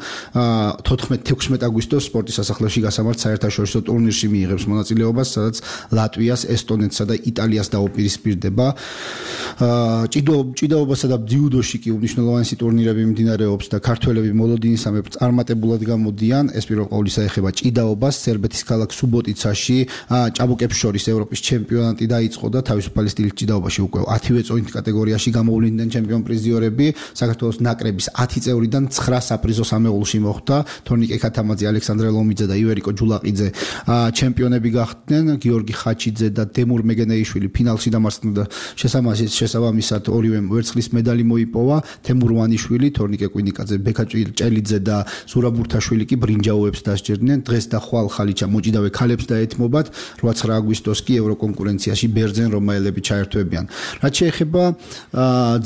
14-16 აგვისტოს სპორტის სასახლეში გასამართ საერთაშორისო ტურნირში მიიღებს მონაწილეობას, სადაც ლატვიას, ესტონეთსა და იტალიას დაუპირისპირდება. ჭიდაობასა და ძიუდოში კი უმნიშვნელოვანესი ტურნირები მიმდინარეობს და ქართველები მოლოდინის ამებ წარმატებულად გამოდიან. ეს პირველ ყოვლისა ეხება ჭიდაობას, სერბეთის ქალაქ სუბოტიცაში ჭაბუკებს შორის ევროპის ჩემპიონატი დაიწყო და თავისუფალი სტილის ჭიდაობაში უკვე 10-ვე წონით კატეგორიაში გამოვლინდნენ ჩემპიონ პრიზიორები. საქართველოს ნაკრების 10 წევრიდან 9 საპრიზო სამეულში მოხვდა. თორნიკე ქათამაძე, ალექსანდრე ლომიძე და ივერიკო ჯულაყიძე ჩემპიონები გახდნენ. გიორგი ხაჩიძე და დემურ მეგენეიშვილი ფინალში დამარცხდნენ და შესაბამისად ორივე ვერცხლის медаლი მოიპოვა. თემურ ვანიშვილი, თორნიკე კვინიკაძე, ბექა ჭელიძე და ზურაბ ბურთაშვილი კი ბრინჯაოებს დასჯერდნენ. დღეს და ხვალ ხალიჩა მოჭიდავე ქალებს დაეთმობათ. 8-9 აგვისტოს კი ევროკონკურენციაში ბერძენ რომაელები ჩაერთვებიან. რაც შეეხება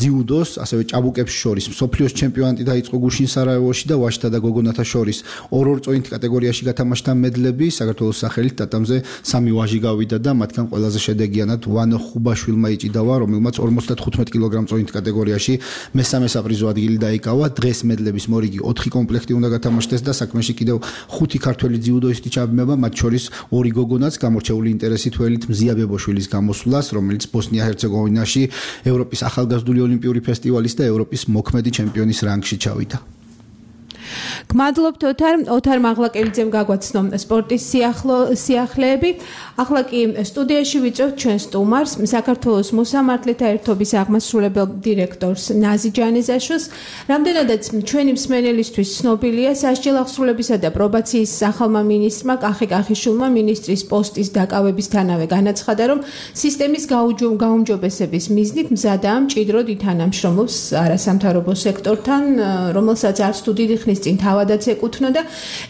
ძიუდოს, ასევე ჭაბუკებს შორის მსოფლიოს ჩემპიონატი დაიწყო გუშინ სარაევოში და ვაშთა და გოგონათა შორის 2 წონით კატეგორიაში გათამაშდა მედლები. საქართველოს სახელით ტატამზე 3 ვაჟი გავიდა და მათგან ყველაზე შედეგიანად ვანო ხუბაშვილმა იჭიდავა, რომელმაც 55 კილოგრამ წონით კატეგორიაში მესამე საპრიზო ადგილი დაიკავა. დღეს მედლების მორიგი 4 კომპლექტი უნდა გათამაშდეს და საქმეში კიდევ 5 ქართველი ძიუდოისტი ჩაბმება, მათ შორის 2 გოგონაც გამორჩეული ინტერესით ველით მზია ბებოშვილის გამოსვლას, რომელიც ბოსნია-ჰერცეგოვინაში ევროპის ახალგაზრდული ოლიმპიური ფესტივალის და ევროპის მოქმედი ჩემპიონის რანგში ჩავიდა. გმადლობთ ოთარ მაღლაკელიძემ გაგვაცნო სპორტის სიახლეები. ახლა კი სტუდიაში ვიწევთ ჩვენ სტუმარს, საქართველოს მოსამართლეთა ერთობის აღმასრულებელ დირექტორს ნაზი ჯანეზაშვილს. რამდენადაც ჩვენი მსმენელისთვის ცნობილია, სასჯელ აღსრულებისა და პრობაციის ახალმა მინისტრმა კახი კახიშვილმა მინისტრის პოსტის დაკავებისთანავე განაცხადა, რომ სისტემის გაუმჯობესების მიზნით მზადაა მჭიდროდ ითანამშრომლობს არასამთავრობო სექტორთან, რომელსაც არც თუ დიდი ხნის წინ თავადაც ეკუთვნოდა.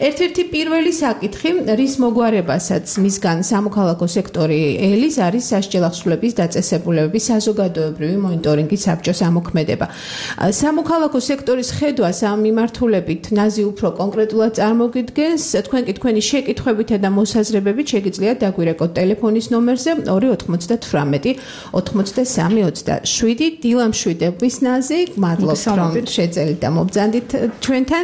ერთ-ერთი პირველი საკითხი, რის მოგვარებასაც მისგან სამოქალაქო სექტორი ელის არის სასჯელ აღსრულების დაწესებულებების საზოგადოებრივი მონიტორინგის საბჭოს ამოქმედება. სამოქალაქო სექტორის ხედვას ამ მიმართულებით ნაზი უფრო კონკრეტულად წარმოგიდგენს. თქვენ კი თქვენი შეკითხვებითა და მოსაზრებებით შეგიძლიათ დაგვირეკოთ ტელეფონის ნომერზე 298 8327. დილამშვიდობის ნაზი, მადლობთ რომ შეძელით და მობრძანდით ჩვენთან.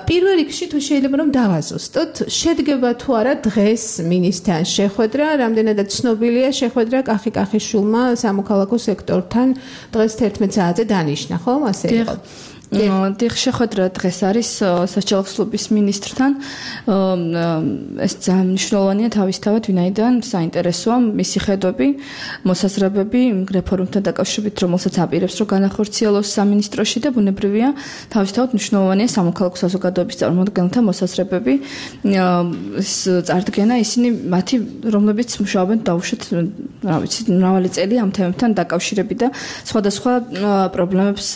პირველ რიგში თუ შეიძლება რომ დავაზუსტოთ, შედგება თუ არა დღეს მინისტრთან შეხვედრა, რამდენადაც ცნობილია შეხვედრა კახი კახიშვილმა სამოქალაქო სექტორთან დღეს 11 საათზე დანიშნა, ხო? ასე იყო. დიახ, შეხვედრა დღეს არის სასჯელ აღსრულების მინისტრთან. ეს ძალიან მნიშვნელოვანია თავისთავად, ვინაიდან საინტერესოა მისი ხედვები, მოსაზრებები რეფორმებთან დაკავშირებით, რომელსაც აპირებს რომ განახორციელოს სამინისტროში და ბუნებრივია, თავისთავად მნიშვნელოვანია სამოქალაქო საზოგადოების წარმომადგენელთა მოსაზრებები. ეს წარდგენა ისინი მათი, რომლებიც მუშაობენ დაუშვათ, რა ვიცი, მრავალი წელი ამ თემებთან დაკავშირებით და სხვადასხვა პრობლემებს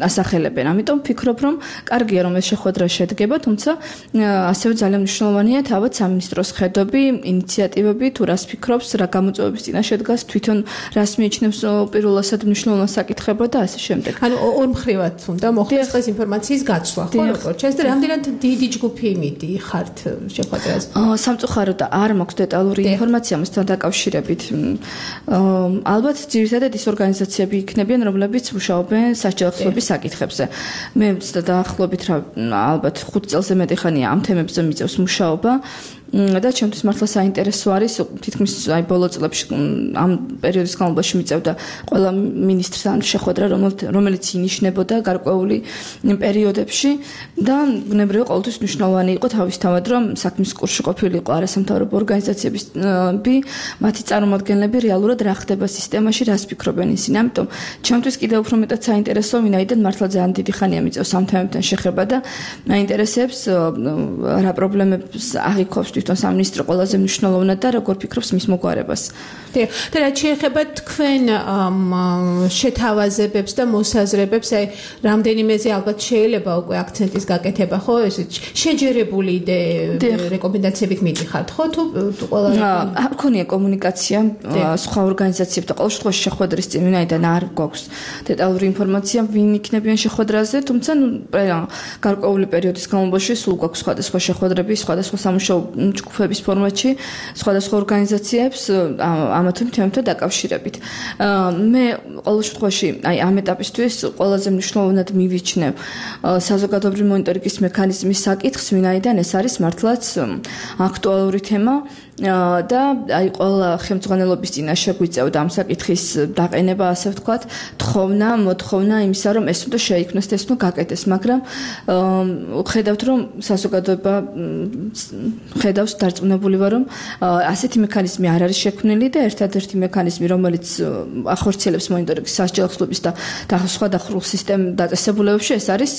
ასახელებენ. ამიტომ ვფიქრობ, რომ კარგია რომ ეს შეხვედრა შედგება, თუმცა ასევე ძალიან მნიშვნელოვანია თავად სამინისტროს ხედვები, ინიციატივები, თუ რას ფიქრობს, რა გამოწვევების წინაშე დგას, თვითონ რას მიიჩნევს პირველად მნიშვნელოვან საკითხებად და ასე შემდეგ. ანუ ორ მხრივად უნდა მოხდეს დღეს ინფორმაციის გაცვლა, ხო, როგორ ჩანს და რამდენად დიდი ჯგუფი მიდიხართ შეხვედრაზე? სამწუხაროდ არ მაქვს დეტალური ინფორმაცია მასთან დაკავშირებით. ალბათ ძირითადად ის ორგანიზაციები იქნებიან, რომლებიც მუშაობენ სასჯელ აღსრულების საკითხებზე. მე დაახლოებით ალბათ 5 წელზე მეტი ხანია ამ თემებზე მიწევს მუშაობა და ჩემთვის მართლა საინტერესო არის თითქმის აი ბოლო წლებში ამ პერიოდის განმავლობაში მიწევდა ყველა მინისტრთან შეხვედრა რომელიც ინიშნებოდა გარკვეული პერიოდებში და ბუნებრივია ყოველთვის მნიშვნელოვანი იყო თავისთავად რომ საქმის კურსში ყოფილიყო არასამთავრობო ორგანიზაციების მათი წარმომადგენლები რეალურად რა ხდება სისტემაში რას ფიქრობენ ისინი ამიტომ ჩემთვის კიდევ უფრო მეტად საინტერესო ვინაიდან მართლა ძალიან დიდი ხანია მიწევს ამ თემებთან შეხება და მაინტერესებს რა პრობლემებს აღიქვავს თვითონ სამინისტრო ყველაზე მნიშვნელოვნად და როგორ ფიქრობს მის მოგვარებას. და რაც შეეხება თქვენ შეთავაზებებს და მოსაზრებებს, აი რამდენიმეზე ალბათ შეიძლება უკვე აქცენტის გაკეთება, ხო, ესეც შეჯერებული რეკომენდაციებით მიდიხართ, ხო, თუ ყველა არ ქონია კომუნიკაცია სხვა ორგანიზაციებთან, ყოველ შემთხვევაში შეხვედრის წინ ვინაიდან არ გვაქვს დეტალური ინფორმაცია, ვინ იქნებიან შეხვედრაზე, თუმცა გარკვეული პერიოდის განმავლობაში სულ გვაქვს სხვადასხვა შეხვედრები, სხვადასხვა სამუშაო ჯგუფების ფორმატში, სხვადასხვა ორგანიზაციებს ამ თემებთან დაკავშირებით. მე ყოველ შემთხვევაში აი ამ ეტაპისთვის ყველაზე მნიშვნელოვნად მივიჩნევ საზოგადოებრივი მონიტორინგის მექანიზმის საკითხს, ვინაიდან ეს არის მართლაც აქტუალური თემა და აი ყველა ხელმძღვანელობის წინაშე გვიწევდა ამ საკითხის დაყენება, ასე ვთქვათ, მოთხოვნა იმისა, რომ ეს უნდა შეიქმნას და ეს უნდა გაკეთდეს, მაგრამ ხედავთ, რომ საზოგადოება ხედავს დარწმუნებული ვარ, რომ ასეთი მექანიზმი არ არის შექმნილი და ერთადერთი მექანიზმი, რომელიც ახორციელებს მონიტორინგის სასჯელ აღსრულების და სხვა დახურულ სისტემ დაწესებულებებში, ეს არის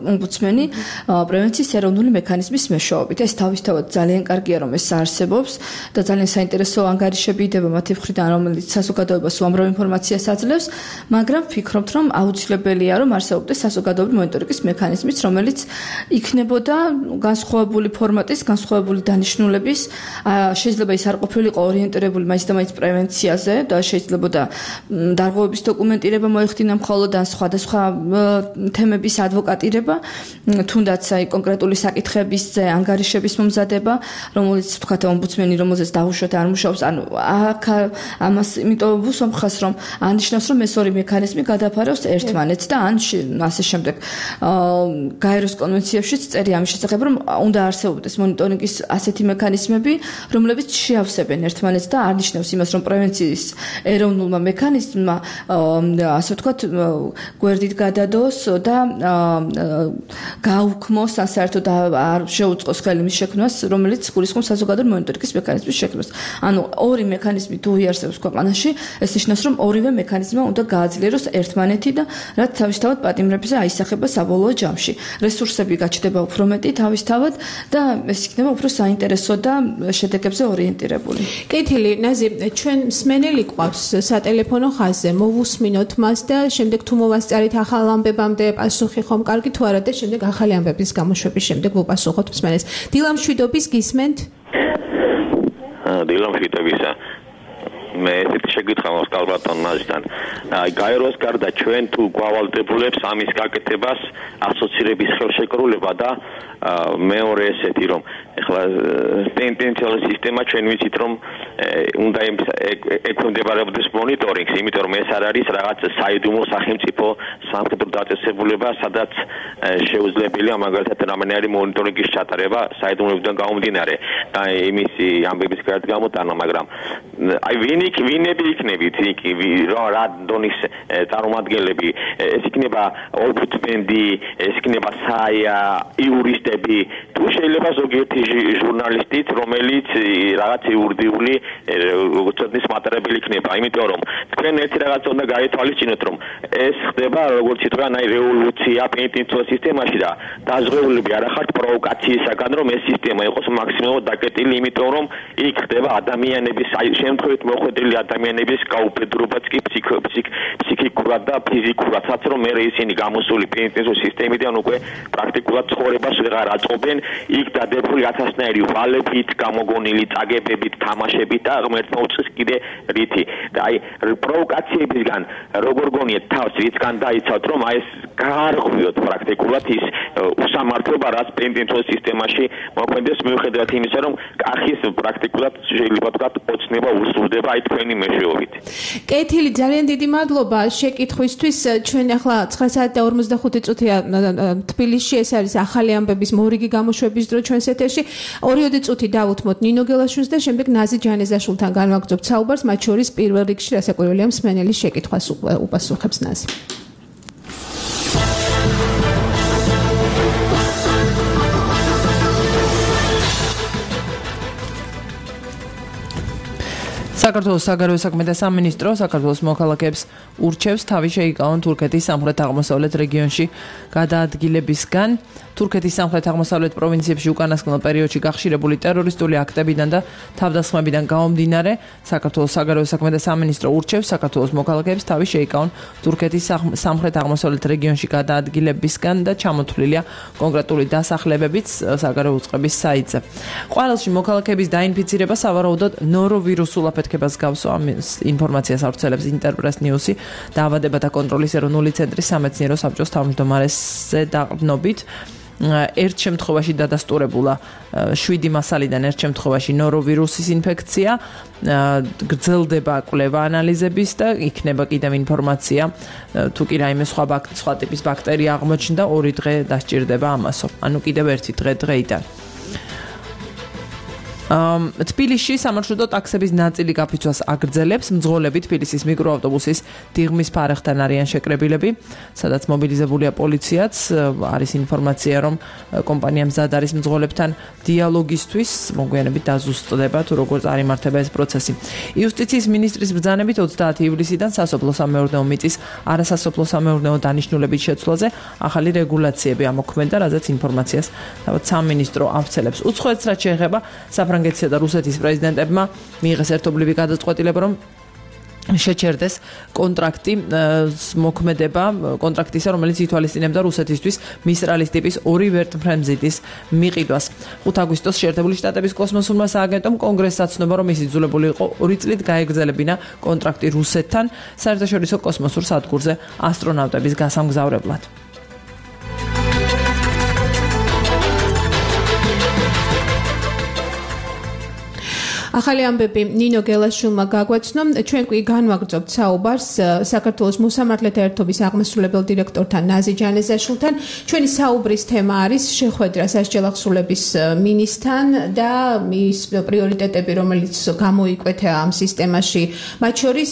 ომბუდსმენი პრევენციის ეროვნული მექანიზმის მეშვეობით. ეს თავისთავად ძალიან კარგია, რომ ეს არსებობს. და ძალიან საინტერესო ანგარიშები იდება მათი მხრიდან, რომელიც საზოგადოებას უამრავ ინფორმაციას აძლევს, მაგრამ ვფიქრობთ, რომ აუცილებელია, რომ არსებობდეს საზოგადოებრივი მონიტორინგის მექანიზმიც, რომელიც იქნებოდა განსხვავებული ფორმატის, განსხვავებული დანიშნულების, შეიძლება ის არ ყოფილიყო ორიენტირებული მაინც და მაინც პრევენციაზე და შეიძლება დარღვევების დოკუმენტირება მოეხდინა მხოლოდ ან სხვადასხვა თემების ადვოკატირება, თუნდაც აი კონკრეტული საკითხების ანგარიშების მომზადება, რომელიც თქვათ ომბუდსმენი რომელზეც დაუშვათ არ მუშაობს, ანუ აქ ამას იმიტომ ვუსამხას, რომ ანიშნავს, რომ ეს ორი მექანიზმი გადაფარავს ერთმანეთს და ან ასე შემდეგ გაეროს კონვენციებშიც წერი ამის შესახებ, რომ უნდა არსებობდეს მონიტორინგის ასეთი მექანიზმები, რომლებიც შეავსებენ ერთმანეთს და არნიშნავს იმას, რომ პრევენციის ეროვნულმა მექანიზმმა ასე ვთქვათ გვერდით გადადოს და გაუქმოს ან საერთოდ არ შეუწყოს ხელი მის შექმნას, რომელიც გულისხმობს საზოგადო მონიტორინგის მექანიზმის შექმნას. ანუ ორი მექანიზმი თუ იარსებობს ქვეყანაში, ეს ნიშნავს, რომ ორივე მექანიზმმა უნდა გააძლიეროს ერთმანეთი და რაც თავისთავად პატიმრებზე აისახება საბოლოო ჯამში. რესურსები გაჩნდება უფრო მეტი თავისთავად და ეს იქნება უფრო საინტერესო და შედეგებზე ორიენტირებული. კეთილი, ნაზი, ჩვენ მსმენელი გვყავს სატელეფონო ხაზზე, მოვუსმინოთ მას და შემდეგ თუ მოვასწარით ახალ ამბებამდე პასუხი ხომ კარგი თუ არა და შემდეგ ახალი ამბების გამოშვების შემდეგ ვუპასუხოთ მსმენელს. დილამშვიდობის გისმენთ? დილამშვიდობისა. მე ესეთი შეკითხვა მაქვს კალბატონ ნაზიდან. გაეროს გარდა ჩვენ თუ გვავალდებულებს ამის გაკეთებას ასოცირების ხელშეკრულება და მეორე ესეთი რომ ეხლა პენტენციალური სისტემა ჩვენ ვიცით რომ უნდა ექვემდებარებოდეს მონიტორინგს, იმიტომ რომ ეს არ არის რაღაც საიდუმლო სახელმწიფო სამხედრო დაწესებულება, სადაც შეუძლებელია მაგალითად რამენარი მონიტორინგის ჩატარება საიდუმლოებიდან გამომდინარე და იმისი ამბების გამოტანა, მაგრამ აი ვინები იქნებით რა დონის წარმომადგენლები, ეს იქნება ომბუდსმენი, ეს იქნება საია, იურისტები, თუ შეიძლება ზოგიერთი ჟურნალისტიც, რომელიც რაღაც იურიდიული ცოდნის მატარებელი იქნება, იმიტომ რომ თქვენ ერთი რაღაც უნდა გაითვალისწინოთ, რომ ეს ხდება როგორც ითქვა, აი რევოლუცია პენტენციურ სისტემაში და დაზღვეულები არ ახართ პროვოკაციისაგან, რომ ეს სისტემა იყოს მაქსიმალურად დაკეტილი, იმიტომ რომ იქ ხდება ადამიანების შემთხვევით მოხვედრილი ადამიანების გაუფედრობაც კი ფსიქიკურად და ფიზიკურადაც, რომ მე ისინი გამოსული პენტენციურ სისტემიდან უკვე პრაქტიკულად ცხოვრებას ვეღარ აწყობენ, იქ დადებული ათასნაირი ვალებით, გამოგონილი წაგებებით, თამაშებით და ღმერთმა უწყის კიდე რითი. და აი პროვოკაციებისგან როგორ გონიეთ თავს, რითგან დაიცავთ, რომ აი ეს გაარღვიოთ პრაქტიკულად ის უსამართლობა, რაც პენტენციურ სისტემაში მოქმედებს, მიუხედავად იმისა, რომ კახის პრაქტიკულად შეიძლება ვთქვათ ოცნება უსრულდება აი თქვენი მეშვეობით. კეთილი, ძალიან დიდი მადლობა შეკითხვისთვის. ჩვენ ახლა 9 საათი და 45 წუთია თბილისში, ეს არის ახალი ამბების მორიგი გამოშვების დრო ჩვენს ეთერში. 2 წუთი დავუთმოთ ნინო გელაშვილს და შემდეგ ნაზი ჯანეზაშვილთან განვაგრძობთ საუბარს, მათ შორის პირველ რიგში რასაკვირველია მსმენელის შეკითხვას უპასუხებს ნაზი. საქართველოს საგარეო საქმეთა სამინისტრო საქართველოს მოქალაქეებს ურჩევს თავი შეიკავონ თურქეთის სამხრეთ-აღმოსავლეთ რეგიონში გადაადგილებისგან. თურქეთის სამხრეთ-აღმოსავლეთ პროვინციებში უკანასკნელ პერიოდში გახშირებული ტერორისტული აქტებიდან და თავდასხმებიდან გამომდინარე, საქართველოს საგარეო საქმეთა სამინისტრო ურჩევს საქართველოს მოქალაქეებს თავი შეიკავონ თურქეთის სამხრეთ-აღმოსავლეთ რეგიონში გადაადგილებისგან და ჩამოთვლილია კონკრეტული დასახლებებიც საგარეო უწყების საიტზე. ყვარელში მოქალაქეების დაინფიცირება სავარაუდოდ ნოროვირუსულ აფეთქებას გავს, ამის ინფორმაციას ავრცელებს ინტერპრეს ნიუსი. დაავადებათა კონტროლის ეროვნული ცენტრის სამეცნიერო საბჭოს თავმჯდომარესზე დაყრდნობით. ერთ შემთხვევაში დადასტურებულა 7 მასალიდან ერთ შემთხვევაში ნოროვირუსის ინფექცია, გრძელდება კვლევა ანალიზების და იქნება კიდევ ინფორმაცია თუ კი რაიმე სხვა ტიპის ბაქტერია აღმოჩნდა, 2 დღე დასჭირდება ამასო. ანუ კიდევ 1 დღე დღეიდან. თბილისში სამარშრუტო ტაქსების ნაწილი გაფიცვას აგრძელებს. მძღოლები თბილისის მიკროავტობუსის დიღმის ფარეხთან არიან შეკრებილები, სადაც მობილიზებულია პოლიციაც. არის ინფორმაცია, რომ კომპანია მზად არის მძღოლებთან დიალოგისთვის, მოგვიანებით დაზუსტდება თუ როგორ წარიმართება ეს პროცესი. იუსტიციის მინისტრის ბრძანებით 30 ივლისიდან სასოფლო-სამეურნეო მიწის არასასოფლო-სამეურნეო დანიშნულების შეცვლაზე ახალი რეგულაციები ამოქმედა, რაზეც ინფორმაციას თავად სამინისტრო ავრცელებს. უცხოეთს რაც შეეხება საფრანგეთისა და რუსეთის პრეზიდენტებმა მიიღეს ერთობლივი გადაწყვეტილება, რომ შეჩერდეს კონტრაქტი მოქმედება კონტრაქტისა, რომელიც ითვალისწინებდა რუსეთისთვის მისტრალის ტიპის 2 ვერტმფრენზიტის მიყიდვას. 5 აგვისტოს შეერთებული შტატების კოსმოსურმა სააგენტომ კონგრესს აცნობა, რომ ის იძულებული იყო 2 წლით გაეგრძელებინა კონტრაქტი რუსეთთან საერთაშორისო კოსმოსურ სადგურზე ასტრონავტების გასამგზავრებლად. ახალი ამბები ნინო გელაშვილმა გაგვაცნო. ჩვენ კი განვაგრძობთ საუბარს საქართველოს მოსამართლეთა ერთობის აღმასრულებელ დირექტორთან ნაზი ჯანეზაშვილთან. ჩვენი საუბრის თემა არის შეხვედრა სასჯელახსრულების მინისტრთან და მის პრიორიტეტები, რომელიც გამოიკვეთა ამ სისტემაში. მათ შორის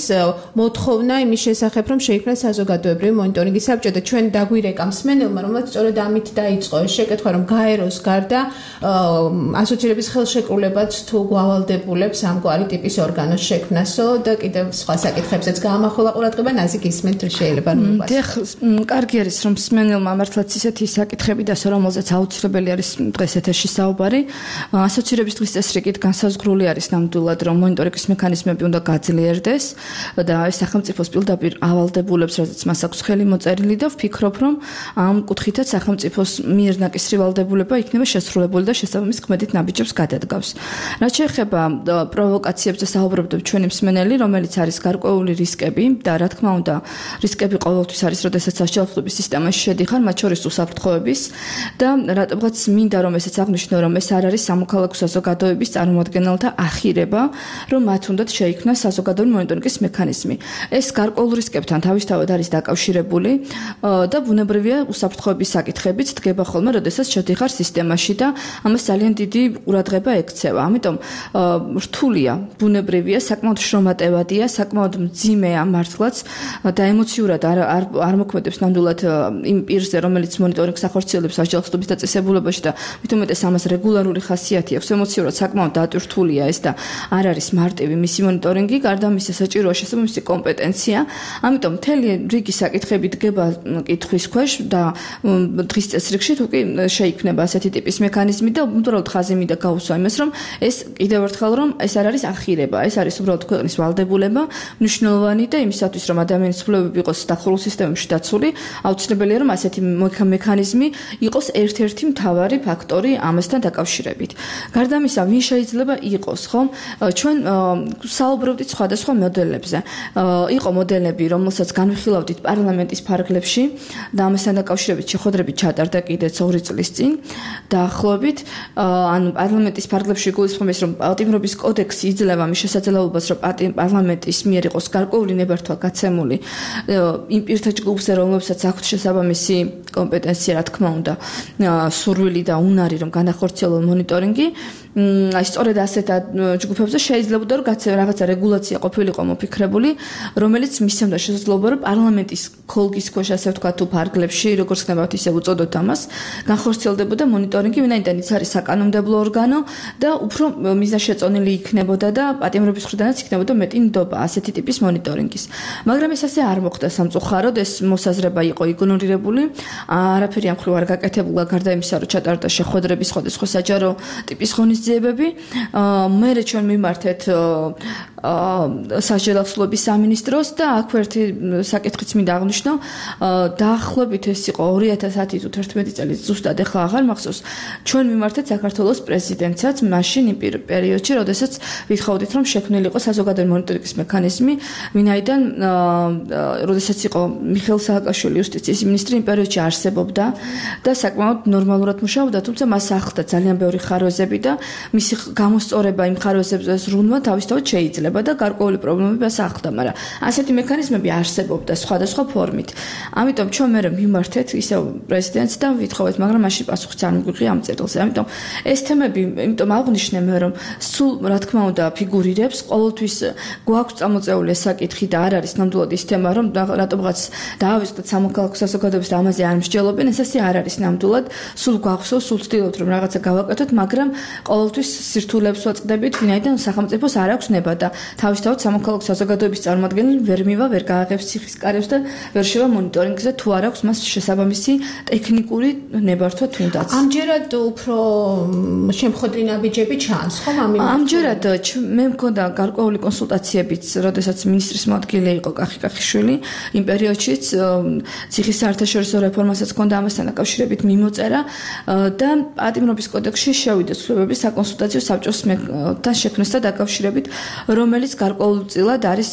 მოთხოვნა იმის შესახებ, რომ შეიქმნას საზოგადოებრივი მონიტორინგის საბჭო და ჩვენ დაგვირეკა მსმენელმა, რომელიც სწორედ ამით დაიწყო ეს შეკითხვა, რომ გაეროს გარდა ასოცირების ხელშეკრულებაც თუ გვალდებულებს ამგვარი ტიპის ორგანოს შექმნასო და კიდევ სხვა საკითხებზეც გაამახვილა ყურადღება. ნაზი გისმენთ, თუ შეიძლება კარგი არის, რომ მსმენელმა მართლაც ისეთი საკითხები დასო, რომელზეც აუცილებელი არის დღეს ეთერში საუბარი. ასოცირების დღის წესრიგით განსაზღვრული არის ნამდვილად, რომ მონიტორინგის მექანიზმები უნდა გაძლიერდეს და ეს სახელმწიფოს პირდაპირ ავალდებულებს, რადგან მას აქვს ხელი მოწერილი და ვფიქრობ, რომ ამ კუთხითაც სახელმწიფოს მიერ ნაკისრი ვალდებულება იქნება შესრულებული და შესაბამის ქმედით ნაბიჯებს გადადგავს. რაც შეეხება პროვოკაციებზე საუბრობთ ჩვენი მსმენელი, რომელიც არის გარკვეული რისკები და რა თქმა უნდა, რისკები ყოველთვის არის, როდესაც სასჯელახსრულების სისტემაში შედიხარ, მათ შორის უსაფრთხოების და რატომღაც მინდა რომ ესეც აღნიშნო, რომ ეს არ არის სამოქალაქო საზოგადოების წარმომადგენელთა ახირება, რომ მათ უნდათ შეიქმნას საზოგადოებრივი მონიტორინგის მექანიზმი. ეს გარკვეულ რისკებთან თავისთავად არის დაკავშირებული და ბუნებრივია უსაფრთხოების საკითხებიც დგება ხოლმე, როდესაც შედიხარ სისტემაში და ამას ძალიან დიდი ყურადღება ექცევა. ამიტომ რთულია, ბუნებრივია, საკმაოდ შრომატევადია, საკმაოდ მძიმეა მართლაც და ემოციურად არ მოქმედებს ნამდვილად იმ პირზე, რომელიც მონიტორინგს ახორციელებს სასჯელახსრულების დაწესებულებაში და მით უმეტეს ამას რეგულარული ხასიათი აქვს. ემოციურად საკმაოდ დატვირთულია ეს და არ არის მარტივი მისი მონიტორინგი, გარდა ამისა საჭიროა შესაბამისი კომპეტენცია. ამიტომ მთელი რიგი საკითხები დგება კითხვის ქვეშ და დღის წესრიგში თუ კი შეიქმნება ასეთი ტიპის მექანიზმი და უბრალოდ ხაზი მინდა გაუსვა იმას, რომ ეს კიდევ ერთხელ რომ ეს არ არის ახირება, ეს არის უბრალოდ ქვეყნის ვალდებულება, მნიშვნელოვანი და იმისათვის რომ ადამიანის ცვლილებები იყოს დახურულ სისტემებში დაცული, აუცილებელია რომ ასეთი მექანიზმი იყოს ერთ-ერთი მთავარი ფაქტორი ამასთან დაკავშირებით. გარდა ამისა, ვინ შეიძლება იყოს, ხო? ჩვენ საუბრობდით სხვადასხვა მოდელებზე. იყო მოდელები, რომელსაც განვიხილავდით პარლამენტის ფარგლებში და ამასთან დაკავშირებით შეხვედრები ჩატარდა კიდეც 2 წლის წინ. დაახლოებით, ანუ პარლამენტის ფარგლებში გულისხმობს, რომ პატიმრობის კოდექსი იძლევა მის შესაძლებლობას, რომ პარლამენტის მიერ იყოს გარკვეული ნებართვა გაცემული იმ პირთა ჯგუფზე, რომლებსაც აქვთ შესაბამისი კომპეტენცია, რა თქმა უნდა, სურვილი და უნარი, რომ განახორციელონ მონიტორინგი. აი სწორედ ასეთ ჯგუფებზე შეიძლება რომ რაღაცა რეგულაცია ყოფილიყო მოფიქრებული, რომელიც მისცემდა შესაძლებლობა, რომ პარლამენტის ქოლგის ქვეშ, ასე ვთქვათ, თუ ფარგლებში, როგორც ხდებათ, ისე უწოდოთ ამას, განხორციელდებოდა მონიტორინგი, ვინაიდან ის არის საკანონმდებლო ორგანო და უფრო მიზანშეწონილი იქნებოდა და პატიმრობის მხრიდანაც იქნებოდა მეტი ნდობა ასეთი ტიპის მონიტორინგის. მაგრამ ეს ასე არ მოხდა სამწუხაროდ, ეს მოსაზრება იყო იგნორირებული, არაფერი ამ მხრივ არ გაკეთებულა, გარდა იმისა, რომ ჩატარდა შეხვედრები სხვადასხვა საჯარო ტიპის ღონისძიებები. მერე ჩვენ მიმართეთ სასჯელახსრულების სამინისტროს და აქვე ერთი საკითხიც მინდა აღნიშნო. დაახლოებით ეს იყო 2010 თუ 11 წელი ზუსტად ახლა აღარ მახსოვს. ჩვენ მიმართეთ საქართველოს პრეზიდენტსაც მაშინ იმ პერიოდში, როდესაც ვითხოვდით, რომ შექმნილიყო საზოგადოებრივი მონიტორინგის მექანიზმი, ვინაიდან როდესაც იყო მიხეილ სააკაშვილი იუსტიციის მინისტრი, იმ პერიოდში არსებობდა და საკმაოდ ნორმალურად მუშაობდა, თუმცა მას ახლდა ძალიან ბევრი ხარვეზები და მისი გამოსწორება იმ ხარვეზებზე ზრუნვა თავისთავად შეიძლება და გარკვეული პრობლემები მას ახლდა, მაგრამ ასეთი მექანიზმები არსებობდა სხვადასხვა ფორმით. ამიტომ ჩვენ მე მიმართეთ ისევ პრეზიდენტს და ვითხოვეთ, მაგრამ მაშინ პასუხიც არ მიგვიღია ამ წერილზე. ამიტომ ეს თემები, იმიტომ აღნიშნე მე, რომ სულ რა თქმა უნდა ფიგურირებს, ყოველთვის გვაქვს წამოწეული ეს საკითხი და არ არის ნამდვილად ის თემა, რომ რატომღაც დაავიწყდეთ სამოქალაქო საზოგადოებას და ამაზე არ მსჯელობენ, ეს ასე არ არის ნამდვილად. სულ გვახსოვს, სულ ვცდილობთ, რომ რაღაცა გავაკეთოთ, მაგრამ ყოველთვის სირთულეებს ვაწყდებით, ვინაიდან სახელმწიფოს არ აქვს ნება და თავისთავად სამოქალაქო საზოგადოების წარმომადგენელი ვერ მივა, ვერ გააღებს ციხის კარებს და ვერ შევა მონიტორინგზე, თუ არ აქვს მას შესაბამისი ტექნიკური ნებართვა თუნდაც. ამჯერად უფრო შემხოდრი ნაბიჯები ჩანს, ხო? ამჯერად მე მქონდა გარკვეული კონსულტაციებიც, როდესაც მინისტრის მოადგილე იყო კახიშვილი, იმ პერიოდშიც ციხის საერთაშორისო რეფორმასაც ჰქონდა ამასთან დაკავშირებით მიმოწერა და პატიმრობის კოდექსში შევიდა ცვლილებები საკონსულტაციო საბჭოსთან შექმნასთან დაკავშირებით, რომ რომელიც გარკვეულწილად არის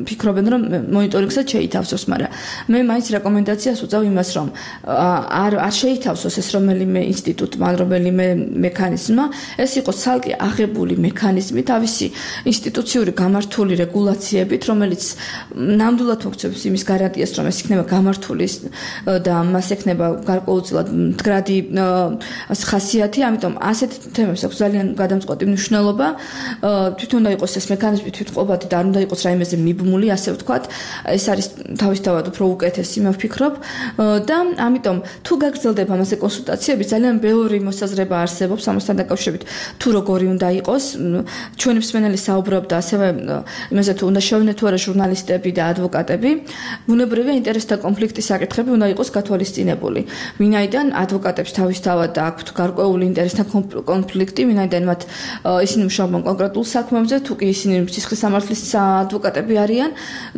ფიქრობენ რომ მონიტორინგსაც შეითავსოს, მაგრამ მე მაინც რეკომენდაციას უწევ იმას რომ არ შეითავსოს ეს რომელიმე ინსტიტუტმა, რომელიმე მექანიზმმა, ეს იყოს ცალკე აღებული მექანიზმი თავისი ინსტიტუციური გამართული რეგულაციებით, რომელიც ნამდვილად მოგვცემს იმის გარანტიას, რომ ეს იქნება გამართული და მას ექნება გარკვეულწილად მდგრადი ხასიათი, ამიტომ ასეთ თემებს აქვს ძალიან გადამწყვეტი მნიშვნელობა. თვითონ უნდა იყოს ეს მექანიზმი თვითყოფადი და არ უნდა იყოს რაიმეზე მიბმული, ასე ვთქვათ. ეს არის თავისთავად უფრო უკეთესი, მე ვფიქრობ. და ამიტომ თუ გაგრძელდება ამაზე კონსულტაციები, ძალიან ბევრი მოსაზრება არსებობს ამასთან დაკავშირებით, თუ როგორი უნდა იყოს. ჩვენი მსმენელი საუბრობდა ასევე იმაზე, თუ უნდა შევინეთ თუ არა ჟურნალისტები და ადვოკატები. ბუნებრივია ინტერესთა კონფლიქტის საკითხები უნდა იყოს გათვალისწინებული. ვინაიდან ადვოკატებს თავისთავად აქვთ გარკვეული ინტერესთა კონფლიქტი, ვინაიდან მათ ისინი მუშაობენ კონკრეტულ საქმეებზე, თუ კი ისინი სისხლის სამართლის ადვოკატები არიან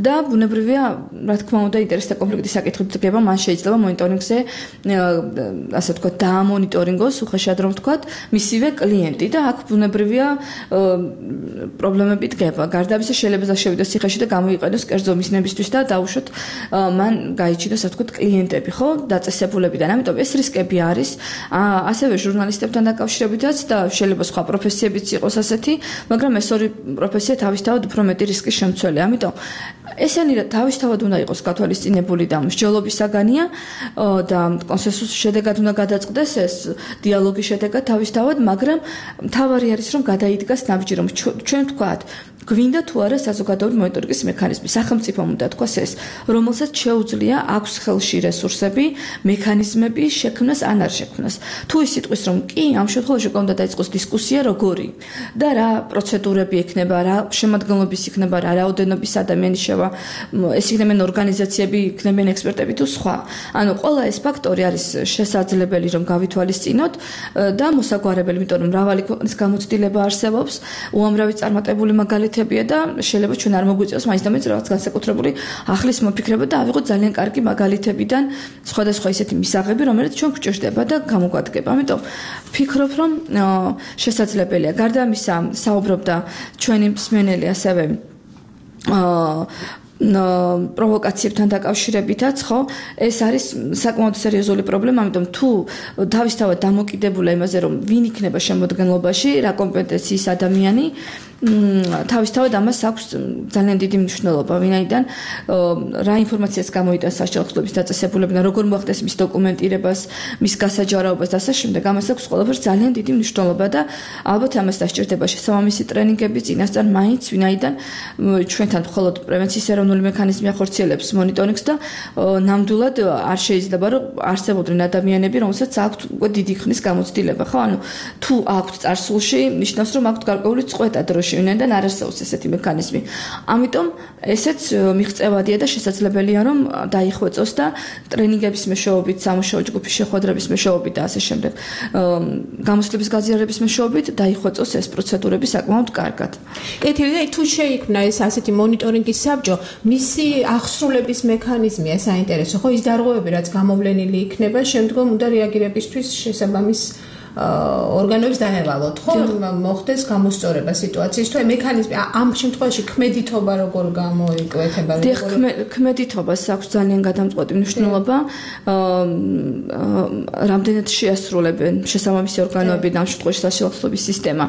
და ბუნებრივია, რა თქმა უნდა, ინტერესთა კონფლიქტის საკითხი დგება, მან შეიძლება მონიტორინგზე, ასე ვთქვათ, დაამონიტორინგოს, უხეშად რომ ვთქვათ, მისივე კლიენტი და აქ ბუნებრივია პრობლემები დგება. გარდა ამისა, შეიძლება შევიდეს ციხეში და გამოიყენოს კერძო მიზნებისთვის და დაუშვოთ მან გაიჩინოს, ასე ვთქვათ, კლიენტები, ხო, დაწესებულებიდან. ამიტომ ეს რისკები არის, ასევე ჟურნალისტებთან დაკავშირებითაც და შეიძლება სხვა პროფესიებიც იყოს ასეთი, მაგრამ ეს ორი პროფესია თავისთავად უფრო მეტი რისკის შემცველი. ამიტომ ესენი თავისთავად უნდა იყოს გათვალისწინებული და მსჯელობის საგანია და კონსენსუსის შედეგად უნდა გადაწყდეს ეს დიალოგის შედეგად თავისთავად, მაგრამ მთავარი არის რომ გადაიდგას ნაბიჯი, რომ ჩვენ ვთქვათ გვინდა თუ არა საზოგადოებრივი მონიტორინგის მექანიზმი. სახელმწიფომ უნდა თქვას ეს, რომელსაც შეუძლია აქვს ხელში რესურსები, მექანიზმები შექმნას ან არ შექმნას. თუ ის იტყვის რომ კი, ამ შემთხვევაში უნდა დაიწყოს დისკუსია როგორი და რა პროცედურები ექნება, რა შემადგენლობის იქნება, რა რაოდენობის ადამიანი შევა, ეს იქნებიან ორგანიზაციები, იქნებიან ექსპერტები თუ სხვა. ანუ ყველა ეს ფაქტორი არის შესაძლებელი რომ გავითვალისწინოთ და მოსაგვარებელი, იმიტომ რომ მრავალი ქვეყნის გამოცდილება არსებობს, უამრავი წარმატებული მაგალითებია და შეიძლება ჩვენ არ მოგვიწევს მაინც და მაინც რაღაც განსაკუთრებული ახლის მოფიქრება და ავიღოთ ძალიან კარგი მაგალითებიდან სხვადასხვა ისეთი მისაღები, რომელიც ჩვენ გვჭირდება და გამოგვადგება. ამიტომ ვფიქრობ, რომ შესაძლებელია. გარდა ამისა, საუბრობდა ჩვენი მსმენელი ასევე პროვოკაციებთან დაკავშირებითაც, ხო, ეს არის საკმაოდ სერიოზული პრობლემა, ამიტომ თუ თავისთავად დამოკიდებულა იმაზე, რომ ვინ იქნება შემოდგენლობაში, რა კომპეტენციის ადამიანი, თავისთავად ამას აქვს ძალიან დიდი მნიშვნელობა, ვინაიდან რა ინფორმაციას გამოიტანს საშუალო ხსნების დაწესებულებიდან, როგორ მოახდენს მის დოკუმენტირებას, მის გასაჯარაობას და ასე შემდეგ, ამას აქვს ყველაფერს ძალიან დიდი მნიშვნელობა და ალბათ ამას დასჭირდება შესაბამისი ტრენინგები წინასწარ მაინც, ვინაიდან ჩვენთან მხოლოდ პრევენციის ეროვნული მექანიზმი ახორციელებს მონიტორინგს და ნამდვილად არ შეიძლება რომ არსებობდნენ ადამიანები, რომელსაც აქვთ უკვე დიდი ხნის გამოცდილება, ხო? ანუ თუ აქვთ წარსულში, ნიშნავს რომ აქვთ გარკვეული წყვეტა დროში, ვინაიდან არ არსებობს ესეთი მექანიზმი. ამიტომ ესეც მიღწევადია და შესაძლებელია რომ დაიხვეწოს და ტრენინგების მეშვეობით, სამუშაო ჯგუფის შეხვედრების მეშვეობით და ასე შემდეგ, გამოცდილების გაზიარების მეშვეობით დაიხვეწოს ეს პროცედურები საკმაოდ კარგად. კეთილი, თუ შეიქმნა ეს ასეთი მონიტორინგის საბჭო, მისი აღსრულების მექანიზმია საინტერესო, ხო, ის დარღვევები, რაც გამოვლენილი იქნება, შემდგომ უნდა რეაგირებისთვის შესაბამის ორგანოებს დაევალოთ, ხო, მოხდეს გამოსწორება სიტუაციის, თუ მექანიზმი ამ შემთხვევაში ქმედითობა როგორ გამოიკვეთება, ქმედითობას აქვს ძალიან გადამწყვეტი მნიშვნელობა, რამდენად შეასრულებენ შესაბამისი ორგანოები და ამ შემთხვევაში საშუალო ხსნების სისტემა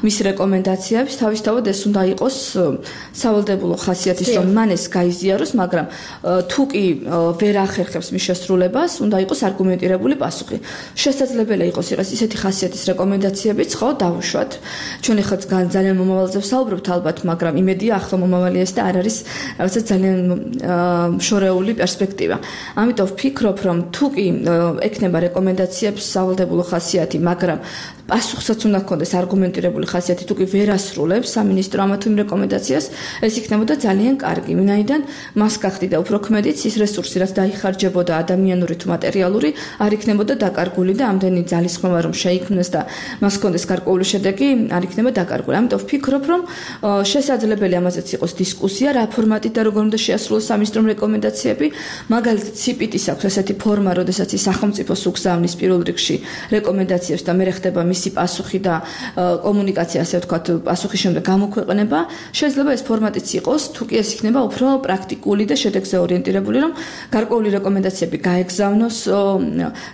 მის რეკომენდაციებს, თავისთავად ეს უნდა იყოს სავალდებულო ხასიათის, რომ მან ეს გაიზიაროს, მაგრამ თუ კი ვერ ახერხებს მის შესრულებას, უნდა იყოს არგუმენტირებული პასუხი. შესაძლებელია იყოს ისეთი ხასიათის რეკომენდაციებიც, ხო, დავუშვათ. ჩვენ ახლა ძალიან მომავალზე ვსაუბრობთ ალბათ, მაგრამ იმედია ახლა მომავალია ეს და არ არის რაღაცა ძალიან შორეული პერსპექტივა. ამიტომ ვფიქრობ, რომ თუ კი ექნება რეკომენდაციებს სავალდებულო ხასიათი, მაგრამ პასუხსაც უნდა ჰქონდეს არგუმენტირებული ხასიათი, თუ კი ვერ ასრულებს სამინისტრო ამ თუ იმ რეკომენდაციას, ეს იქნებოდა ძალიან კარგი, ვინაიდან მას გახდიდა უფრო ქმედიც ის რესურსი, რაც დაიხარჯებოდა ადამიანური თუ მატერიალური, არ იქნებოდა დაკარგული და ამდენი ძალისხმევა რომ შეიქმნეს და მას ჰქონდეს გარკვეული შედეგი, არ იქნება დაკარგული. ამიტომ ვფიქრობ, რომ შესაძლებელია ამაზეც იყოს დისკუსია, რა ფორმატით და როგორ უნდა შეასრულოს სამინისტრომ რეკომენდაციები, მაგალითად CPT-ს აქვს ასეთი ფორმა, როდესაც ის სახელმწიფოს უგზავნის პირველ რიგში რეკომენდაციებს და მე ხდება მისი პასუხი და კომუნიკაცია, ასე ვთქვათ, პასუხის შემდეგ გამოქვეყნება, შეიძლება ეს ფორმატიც იყოს, თუ კი ეს იქნება უფრო პრაქტიკული და შედეგზე ორიენტირებული, რომ გარკვეული რეკომენდაციები გაეგზავნოს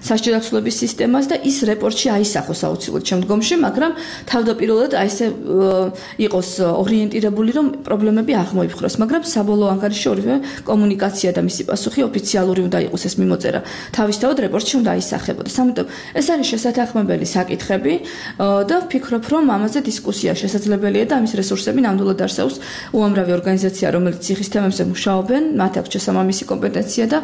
სასჯელი დახსოვების სისტემას და ის რეპორტში აისახოს აუცილებლად შემდგომში, მაგრამ თავდაპირველად აი ესე იყოს ორიენტირებული, რომ პრობლემები აღმოიფხვრას, მაგრამ საბოლოო ანგარიშში ორივე კომუნიკაცია და მისი პასუხი ოფიციალური უნდა იყოს ეს მიმოწერა. თავისთავად რეპორტში უნდა აისახებოდეს. ამიტომ ეს არის შესათანხმებელი საკითხები და ვფიქრობ, რომ ამაზე დისკუსია შესაძლებელია და ამის რესურსები ნამდვილად არსებობს უამრავი ორგანიზაცია, რომელიც ციხის თემებზე მუშაობენ, მათ აქვს შესაბამისი კომპეტენცია და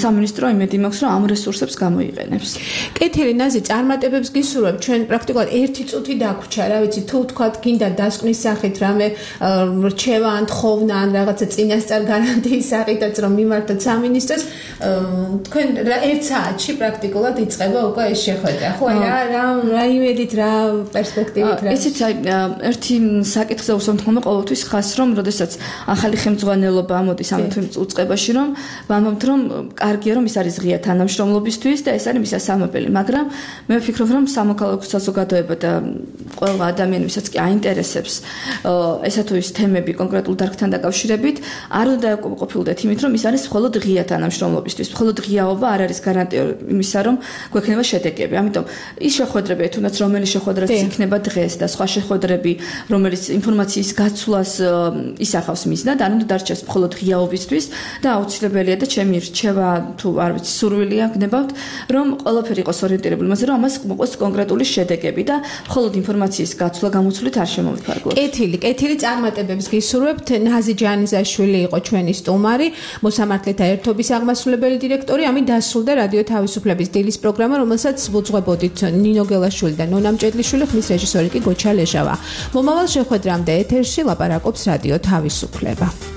სამინისტრო იმედი მაქვს, რომ ამ რესურსებს გამოიყენებს. კეთილი ნაზი, წარმატებებს გისურვებ. ჩვენ პრაქტიკულად 1 წუთი დაგვჭა, რა ვიცი, თუ თქვათ გინდა დასკვნის სახით რამე რჩევა ან თხოვნა ან რაღაცა წინასწარ გარანტიის სახითაც რომ მიმართოთ სამინისტროს, თქვენ 1 საათში პრაქტიკულად იწყება უკვე ეს შეხვედრა. ხო, რა იმედით, რა პერსპექტივით რა. ისიც ერთი საკითხზე უსამართლობა ყოველთვის ხას, რომ როდესაც ახალი ხელმძღვანელობა ამოდის ამ უწყებაში, რომ ვამბობთ, რომ კარგია, რომ ის არის ღია თანამშრომლობისთვის და ეს არის მის სასამებელი, მაგრამ მე ვფიქრობ, რომ სამოქალაქო საზოგადოება და ყველა ადამიანი, ვისაც კი აინტერესებს ესა თუ ის თემები კონკრეტულ დარგთან დაკავშირებით, არ უნდა ყოფილდეთ იმით, რომ ის არის მხოლოდ ღია თანამშრომლობისთვის. მხოლოდ ღიაობა არ არის გარანტია იმისა, რომ გვექნება შედეგები. ამიტომ ის შეხვედრები, თუნდაც რომელი შეხვედრაც იქნება დღეს და სხვა შეხვედრები, რომელიც ინფორმაციის გაცვლას ისახავს მიზნად, არ უნდა დარჩეს მხოლოდ ღიაობისთვის და აუცილებელია და ჩემი რჩევა თუ არ ვიცი, სურვილია გნებავთ, რომ ყველაფერი იყოს ორიენტირებული მასზე, რომ ამას მოყოს კონკრეტული შედეგები და მხოლოდ ინფორმაციის გაცვლა გამოცვლით არ შემოვიფარგლოთ. კეთილი წარმატებებს გისურვებთ. ნაზი ჯანიზაშვილი იყო ჩვენი სტუმარი, მოსამართლეთა ერთობის აღმასრულებელი დირექტორი. ამით დასრულდა რადიო თავისუფლების დილის პროგრამა, რომელსაც ვუძღვებოდით ნინო გელაშვილი და ნონა მჭედლიშვილი, ხმის რეჟისორი კი გოჩა ლეჟავა. მომავალ შეხვედრამდე ეთერში ლაპარაკობს რადიო თავისუფლება.